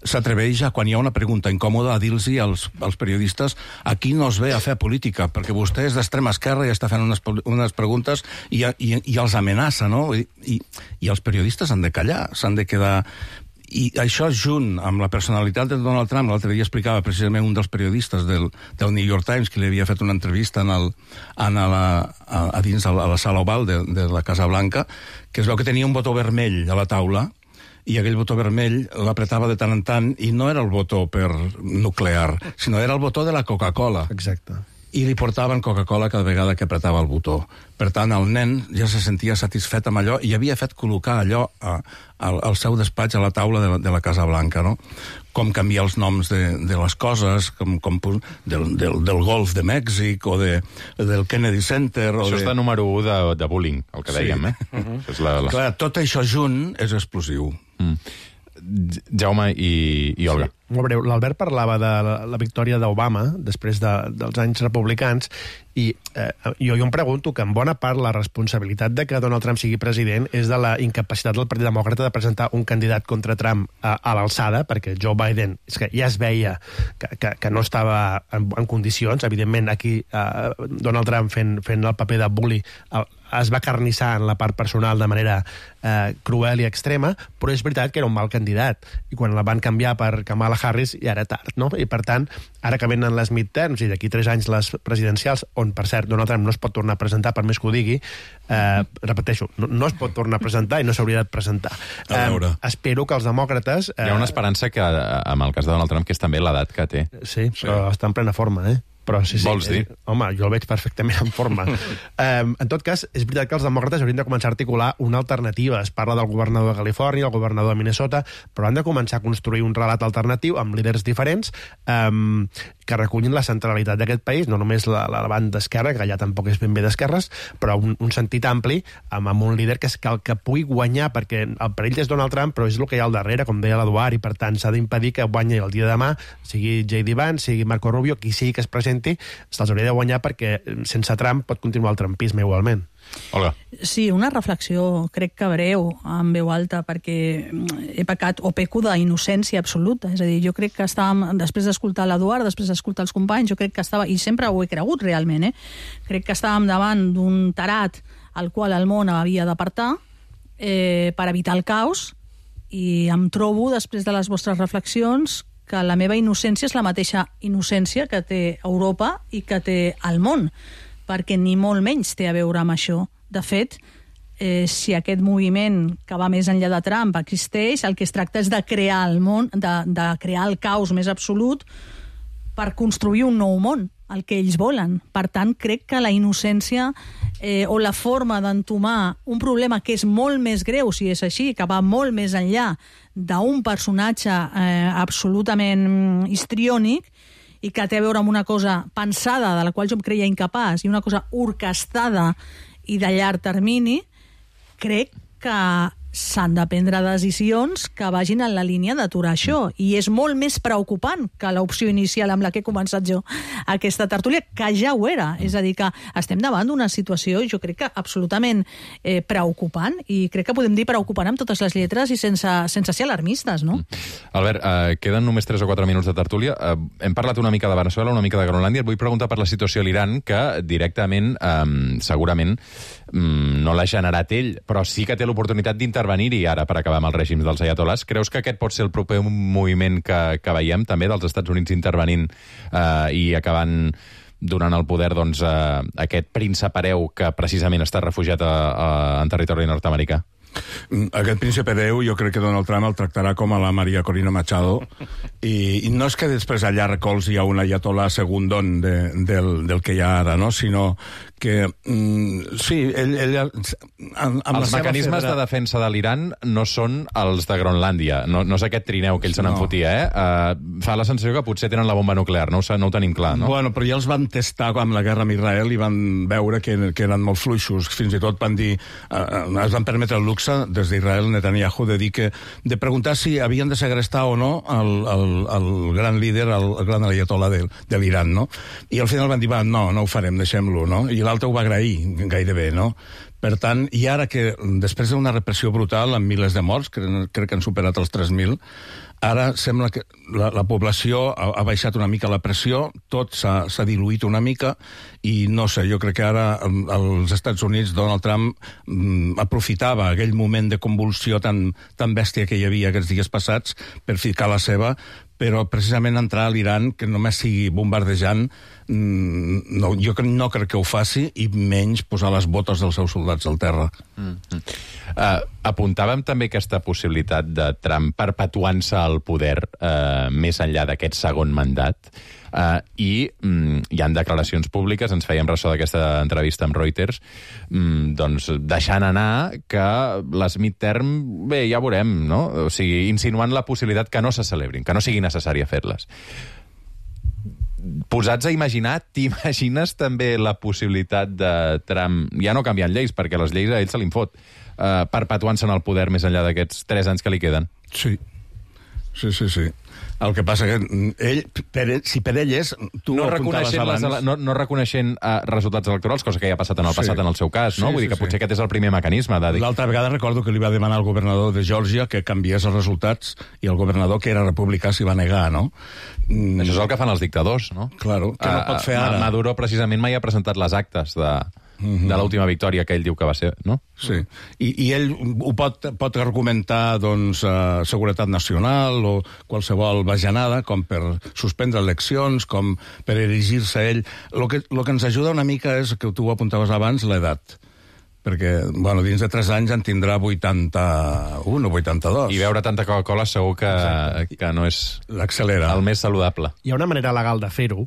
s'atreveix a, quan hi ha una pregunta incòmoda, a dir-los als periodistes: aquí no es ve a fer política, perquè vostè és d'extrema esquerra i està fent unes preguntes i els amenaça, no? I els periodistes han de callar, s'han de quedar... I això junt amb la personalitat de Donald Trump, l'altre dia explicava precisament un dels periodistes del New York Times que li havia fet una entrevista a la sala oval de la Casa Blanca, que es veu que tenia un botó vermell a la taula i aquell botó vermell l'apretava de tant en tant i no era el botó per nuclear, sinó era el botó de la Coca-Cola. Exacte. I li portaven Coca-Cola cada vegada que apretava el botó. Per tant, el nen ja se sentia satisfet amb allò i havia fet col·locar allò al seu despatx, a la taula de la Casa Blanca, no? Com canviar els noms de les coses, del Golf de Mèxic o del Kennedy Center. Això és de número 1 de bullying, el que dèiem, eh? Clar, tot això junt és explosiu. Jaume i Olga. Molt breu. L'Albert parlava de la victòria d'Obama després dels anys republicans i jo em pregunto que en bona part la responsabilitat de que Donald Trump sigui president és de la incapacitat del Partit Demòcrata de presentar un candidat contra Trump a l'alçada, perquè Joe Biden és que ja es veia que no estava en condicions. Evidentment, aquí Donald Trump fent el paper de bully es va carnissar en la part personal de manera cruel i extrema, però és veritat que era un mal candidat. I quan la van canviar per Kamala Harris ja era tard, no? I per tant, ara que venen les midterms i d'aquí 3 anys les presidencials, on, per cert, Donald Trump no es pot tornar a presentar, per més que ho digui, repeteixo, no es pot tornar a presentar i no s'hauria de presentar. Espero que els demòcrates... Hi ha una esperança que, amb el cas de Donald Trump, que és també l'edat que té. Sí, però està en plena forma, Però sí, vols dir? Home, jo el veig perfectament en forma. En tot cas, és veritat que els demòcrates haurien de començar a articular una alternativa. Es parla del governador de Califòrnia, el governador de Minnesota, però han de començar a construir un relat alternatiu amb líders diferents que recullin la centralitat d'aquest país, no només la banda esquerra, que allà tampoc és ben bé d'esquerres, però un sentit ampli amb un líder que el que pugui guanyar, perquè el perill és Donald Trump, però és el que hi ha al darrere, com deia l'Eduard, i per tant s'ha d'impedir que guanyi el dia de demà, sigui J.D. Vance, sigui Marco Rubio, qui sigui que es presenti, se'ls hauria de guanyar perquè sense Trump pot continuar el trumpisme igualment. Olga. Sí, una reflexió, crec que breu, en veu alta, perquè he pecat o peco d'innocència absoluta. És a dir, jo crec que estàvem, després d'escoltar l'Eduard, després d'escoltar els companys, jo crec que estava, i sempre ho he cregut realment, crec que estàvem davant d'un tarat al qual el món havia d'apartar per evitar el caos, i em trobo, després de les vostres reflexions, que la meva innocència és la mateixa innocència que té Europa i que té el món, perquè ni molt menys té a veure amb això. De fet, si aquest moviment que va més enllà de Trump existeix, el que es tracta és de crear el món, de crear el caos més absolut per construir un nou món, el que ells volen. Per tant, crec que la innocència o la forma d'entomar un problema que és molt més greu, si és així, que va molt més enllà d'un personatge absolutament histriònic i que té a veure amb una cosa pensada, de la qual jo em creia incapaç, i una cosa orquestada i de llarg termini, crec que s'han de prendre decisions que vagin en la línia d'aturar això. I és molt més preocupant que l'opció inicial amb la que he començat jo aquesta tertúlia, que ja ho era. És a dir, que estem davant d'una situació, jo crec que absolutament preocupant, i crec que podem dir preocupant amb totes les lletres i sense ser alarmistes, no? Albert, queden només 3 o 4 minuts de tertúlia. Hem parlat una mica de Venezuela, una mica de Groenlàndia. Et vull preguntar per la situació a l'Iran, que directament, segurament, no l'ha generat ell, però sí que té l'oportunitat d'intervenir-hi ara per acabar amb el règim dels ayatolás. Creus que aquest pot ser el proper moviment que veiem, també, dels Estats Units intervenint i acabant donant el poder a aquest príncep hereu que precisament està refugiat en territori nord-americà? Aquest príncep hereu jo crec que Donald Trump el tractarà com a la Maria Corina Machado i no és que després allà recolzi a un ayatolà segundón del que hi ha ara, no? Sinó que sí, ell els mecanismes de defensa de l'Iran no són els de Groenlàndia, no és aquest trineu que ells se n'enfotia, fa la sensació que potser tenen la bomba nuclear, no ho tenim clar, no? Bueno, però ja els van testar amb la guerra amb Israel i van veure que eren molt fluixos, fins i tot van dir, es van permetre el luxe des d'Israel, Netanyahu, de preguntar si havien de segrestar o no el gran líder, el gran ayatolà de l'Iran, no? I al final van dir, no ho farem, deixem-lo, no? I l'altre ho va agrair, gairebé, no? Per tant, i ara que, després d'una repressió brutal, amb milers de morts, crec que han superat els 3.000, ara sembla que la població ha baixat una mica la pressió, tot s'ha diluït una mica, i no sé, jo crec que ara als Estats Units Donald Trump aprofitava aquell moment de convulsió tan bèstia que hi havia aquests dies passats per ficar la seva, però precisament entrar a l'Iran, que només sigui bombardejant, jo no crec que ho faci, i menys posar les botes dels seus soldats al terra. Apuntàvem també aquesta possibilitat de Trump perpetuant-se al poder més enllà d'aquest segon mandat, i hi han declaracions públiques, ens fèiem ressò d'aquesta entrevista amb Reuters, doncs deixant anar que les midterm, bé, ja veurem, no? O sigui, insinuant la possibilitat que no se celebrin, que no sigui necessari fer-les. Posats a imaginar, t'imagines també la possibilitat de Trump, ja no canviant lleis, perquè les lleis a ell se li fot, perpetuant-se en el poder més enllà d'aquests 3 anys que li queden? Sí. El que passa que si per ell és... No reconeixent resultats electorals, cosa que ja ha passat en el passat en el seu cas, no? Vull dir que potser aquest és el primer mecanisme de dir... L'altra vegada recordo que li va demanar al governador de Geòrgia que canviés els resultats, i el governador, que era republicà, s'hi va negar, no? Això és el que fan els dictadors, no? Claro, que no pot fer ara. Maduro precisament mai ha presentat les actes de l'última victòria que ell diu que va ser, no? Sí, i ell ho pot argumentar, doncs, seguretat nacional o qualsevol bajanada, com per suspendre eleccions, com per erigir-se ell. El que ens ajuda una mica és, que tu ho apuntaves abans, l'edat. Perquè, bueno, dins de 3 anys en tindrà 81 o 82. I beure tanta Coca-Cola segur que no és el més saludable. Hi ha una manera legal de fer-ho,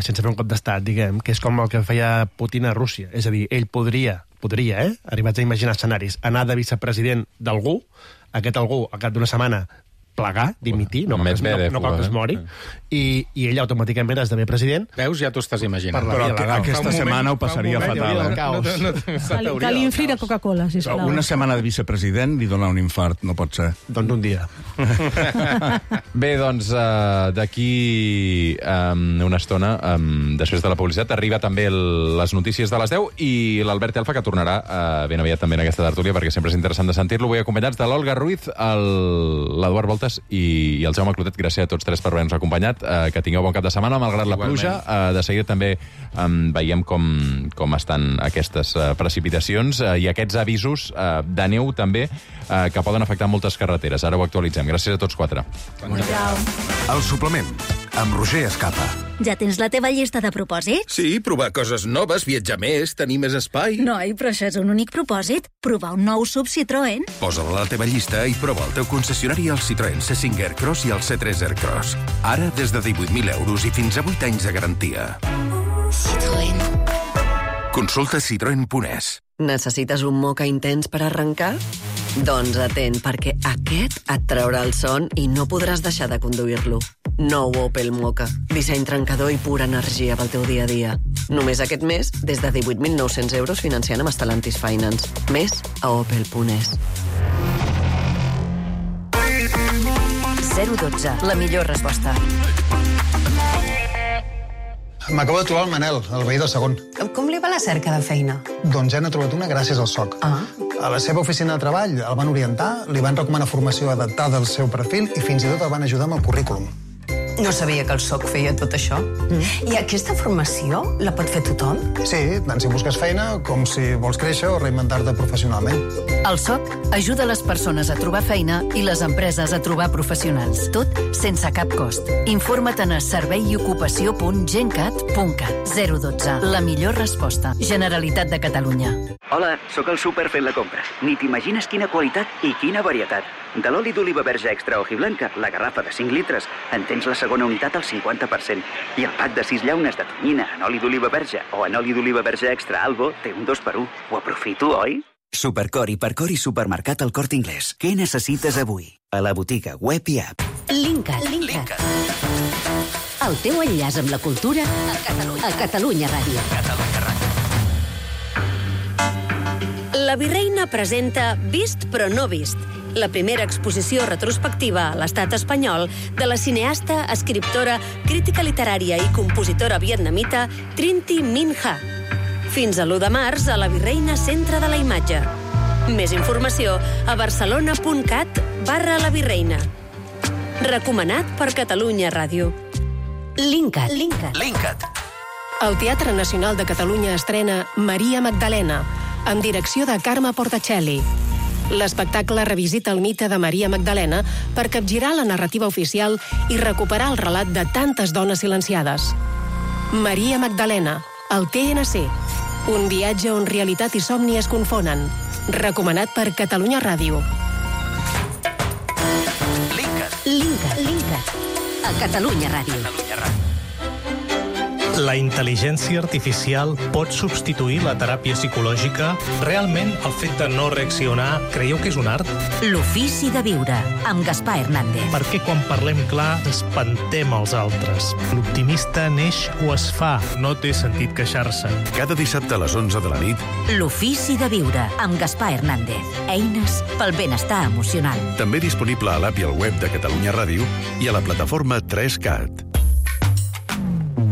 sense fer un cop d'estat, diguem, que és com el que feia Putin a Rússia. És a dir, ell podria, arribats a imaginar escenaris, anar de vicepresident d'algú, aquest algú, al cap d'una setmana, plegar, dimitir, no cal que es mori, i ell automàticament esdevé president. Veus, ja t'ho estàs imaginant. Però aquesta setmana ho passaria fatal. Que li infli de Coca-Cola, sisplau. Una setmana de vicepresident li dona un infart, no pot ser. Doncs un dia. Bé, doncs, d'aquí una estona, després de la publicitat, arriba també les notícies de les 10, i l'Albert Elfa, que tornarà ben aviat també en aquesta tertúlia, perquè sempre és interessant de sentir-lo. Vull acompanyats de l'Olga Ruiz, l'Eduard Volta i el Jaume Clotet. Gràcies a tots 3 per haver-nos acompanyat. Que tingueu bon cap de setmana, malgrat la pluja. De seguida també veiem com estan aquestes precipitacions i aquests avisos de neu també, que poden afectar moltes carreteres. Ara ho actualitzem. Gràcies a tots 4. El suplement, amb Roger Escapa. Ja tens la teva llista de propòsits? Sí, provar coses noves, viatjar més, tenir més espai. Noi, però això és un únic propòsit. Provar un nou SUV Citroën. Posa-la a la teva llista i prova el teu concessionari al Citroën C5 Aircross i el C3 Aircross. Ara des de 18.000 euros i fins a 8 anys de garantia. Citroën. Consulta citroen.es. Necessites un moca intens per arrencar? Doncs atent, perquè aquest et traurà el son i no podràs deixar de conduir-lo. Nou Opel Moka. Disseny trencador i pura energia pel teu dia a dia. Només aquest mes, des de 18.900 euros financiant amb Stellantis Finance. Més a opel.es. 012, la millor resposta. M'acabo de trobar el Manel, el veí del segon. Com li va la cerca de feina? Doncs ja n'ha trobat una gràcies al SOC. A la seva oficina de treball el van orientar, li van recomanar formació adaptada al seu perfil i fins i tot el van ajudar amb el currículum. No sabia que el SOC feia tot això. I aquesta formació la pot fer tothom? Sí, tant si busques feina com si vols créixer o reinventar-te professionalment. El SOC ajuda les persones a trobar feina i les empreses a trobar professionals. Tot sense cap cost. Informa't a serveiocupació.gencat.cat. 012. La millor resposta. Generalitat de Catalunya. Hola, sóc al súper fent la compra. Ni t'imagines quina qualitat i quina varietat. De l'oli d'oliva verge extra hojiblanca, la garrafa de 5 litres, en tens la segona unitat al 50%. I el pack de 6 llaunes de tonyina en oli d'oliva verge o en oli d'oliva verge extra Albo té un 2x1. Ho aprofito, oi? Supercor, Hipercor i Supermercat El Corte Inglés. Què necessites avui? A la botiga, web i app. Linkat. El teu enllaç amb la cultura a Catalunya Ràdio. La Virreina presenta Vist però no vist, la primera exposició retrospectiva a l'estat espanyol de la cineasta, escriptora, crítica literària i compositora vietnamita Trinh Minh Ha. Fins a l'1 de març a la Virreina Centre de la Imatge. Més informació a barcelona.cat/La Virreina. Recomanat per Catalunya Ràdio. Linkat. El Teatre Nacional de Catalunya estrena Maria Magdalena, amb direcció de Carme Portacelli. L'espectacle revisita el mite de Maria Magdalena per capgirar la narrativa oficial i recuperar el relat de tantes dones silenciades. Maria Magdalena, al TNC. Un viatge on realitat i somni es confonen. Recomanat per Catalunya Ràdio. Linkat. A Catalunya Ràdio. La intel·ligència artificial pot substituir la teràpia psicològica? Realment, el fet de no reaccionar, creieu que és un art? L'ofici de viure, amb Gaspar Hernández. Perquè quan parlem clar, espantem els altres. L'optimista neix o es fa, no té sentit queixar-se. Cada dissabte a les 11 de la nit. L'ofici de viure, amb Gaspar Hernández. Eines pel benestar emocional. També disponible a l'app i al web de Catalunya Ràdio i a la plataforma 3CAT.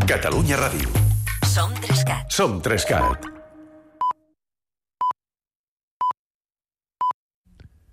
Catalunya Ràdio. Som 3CAT. Som 3CAT.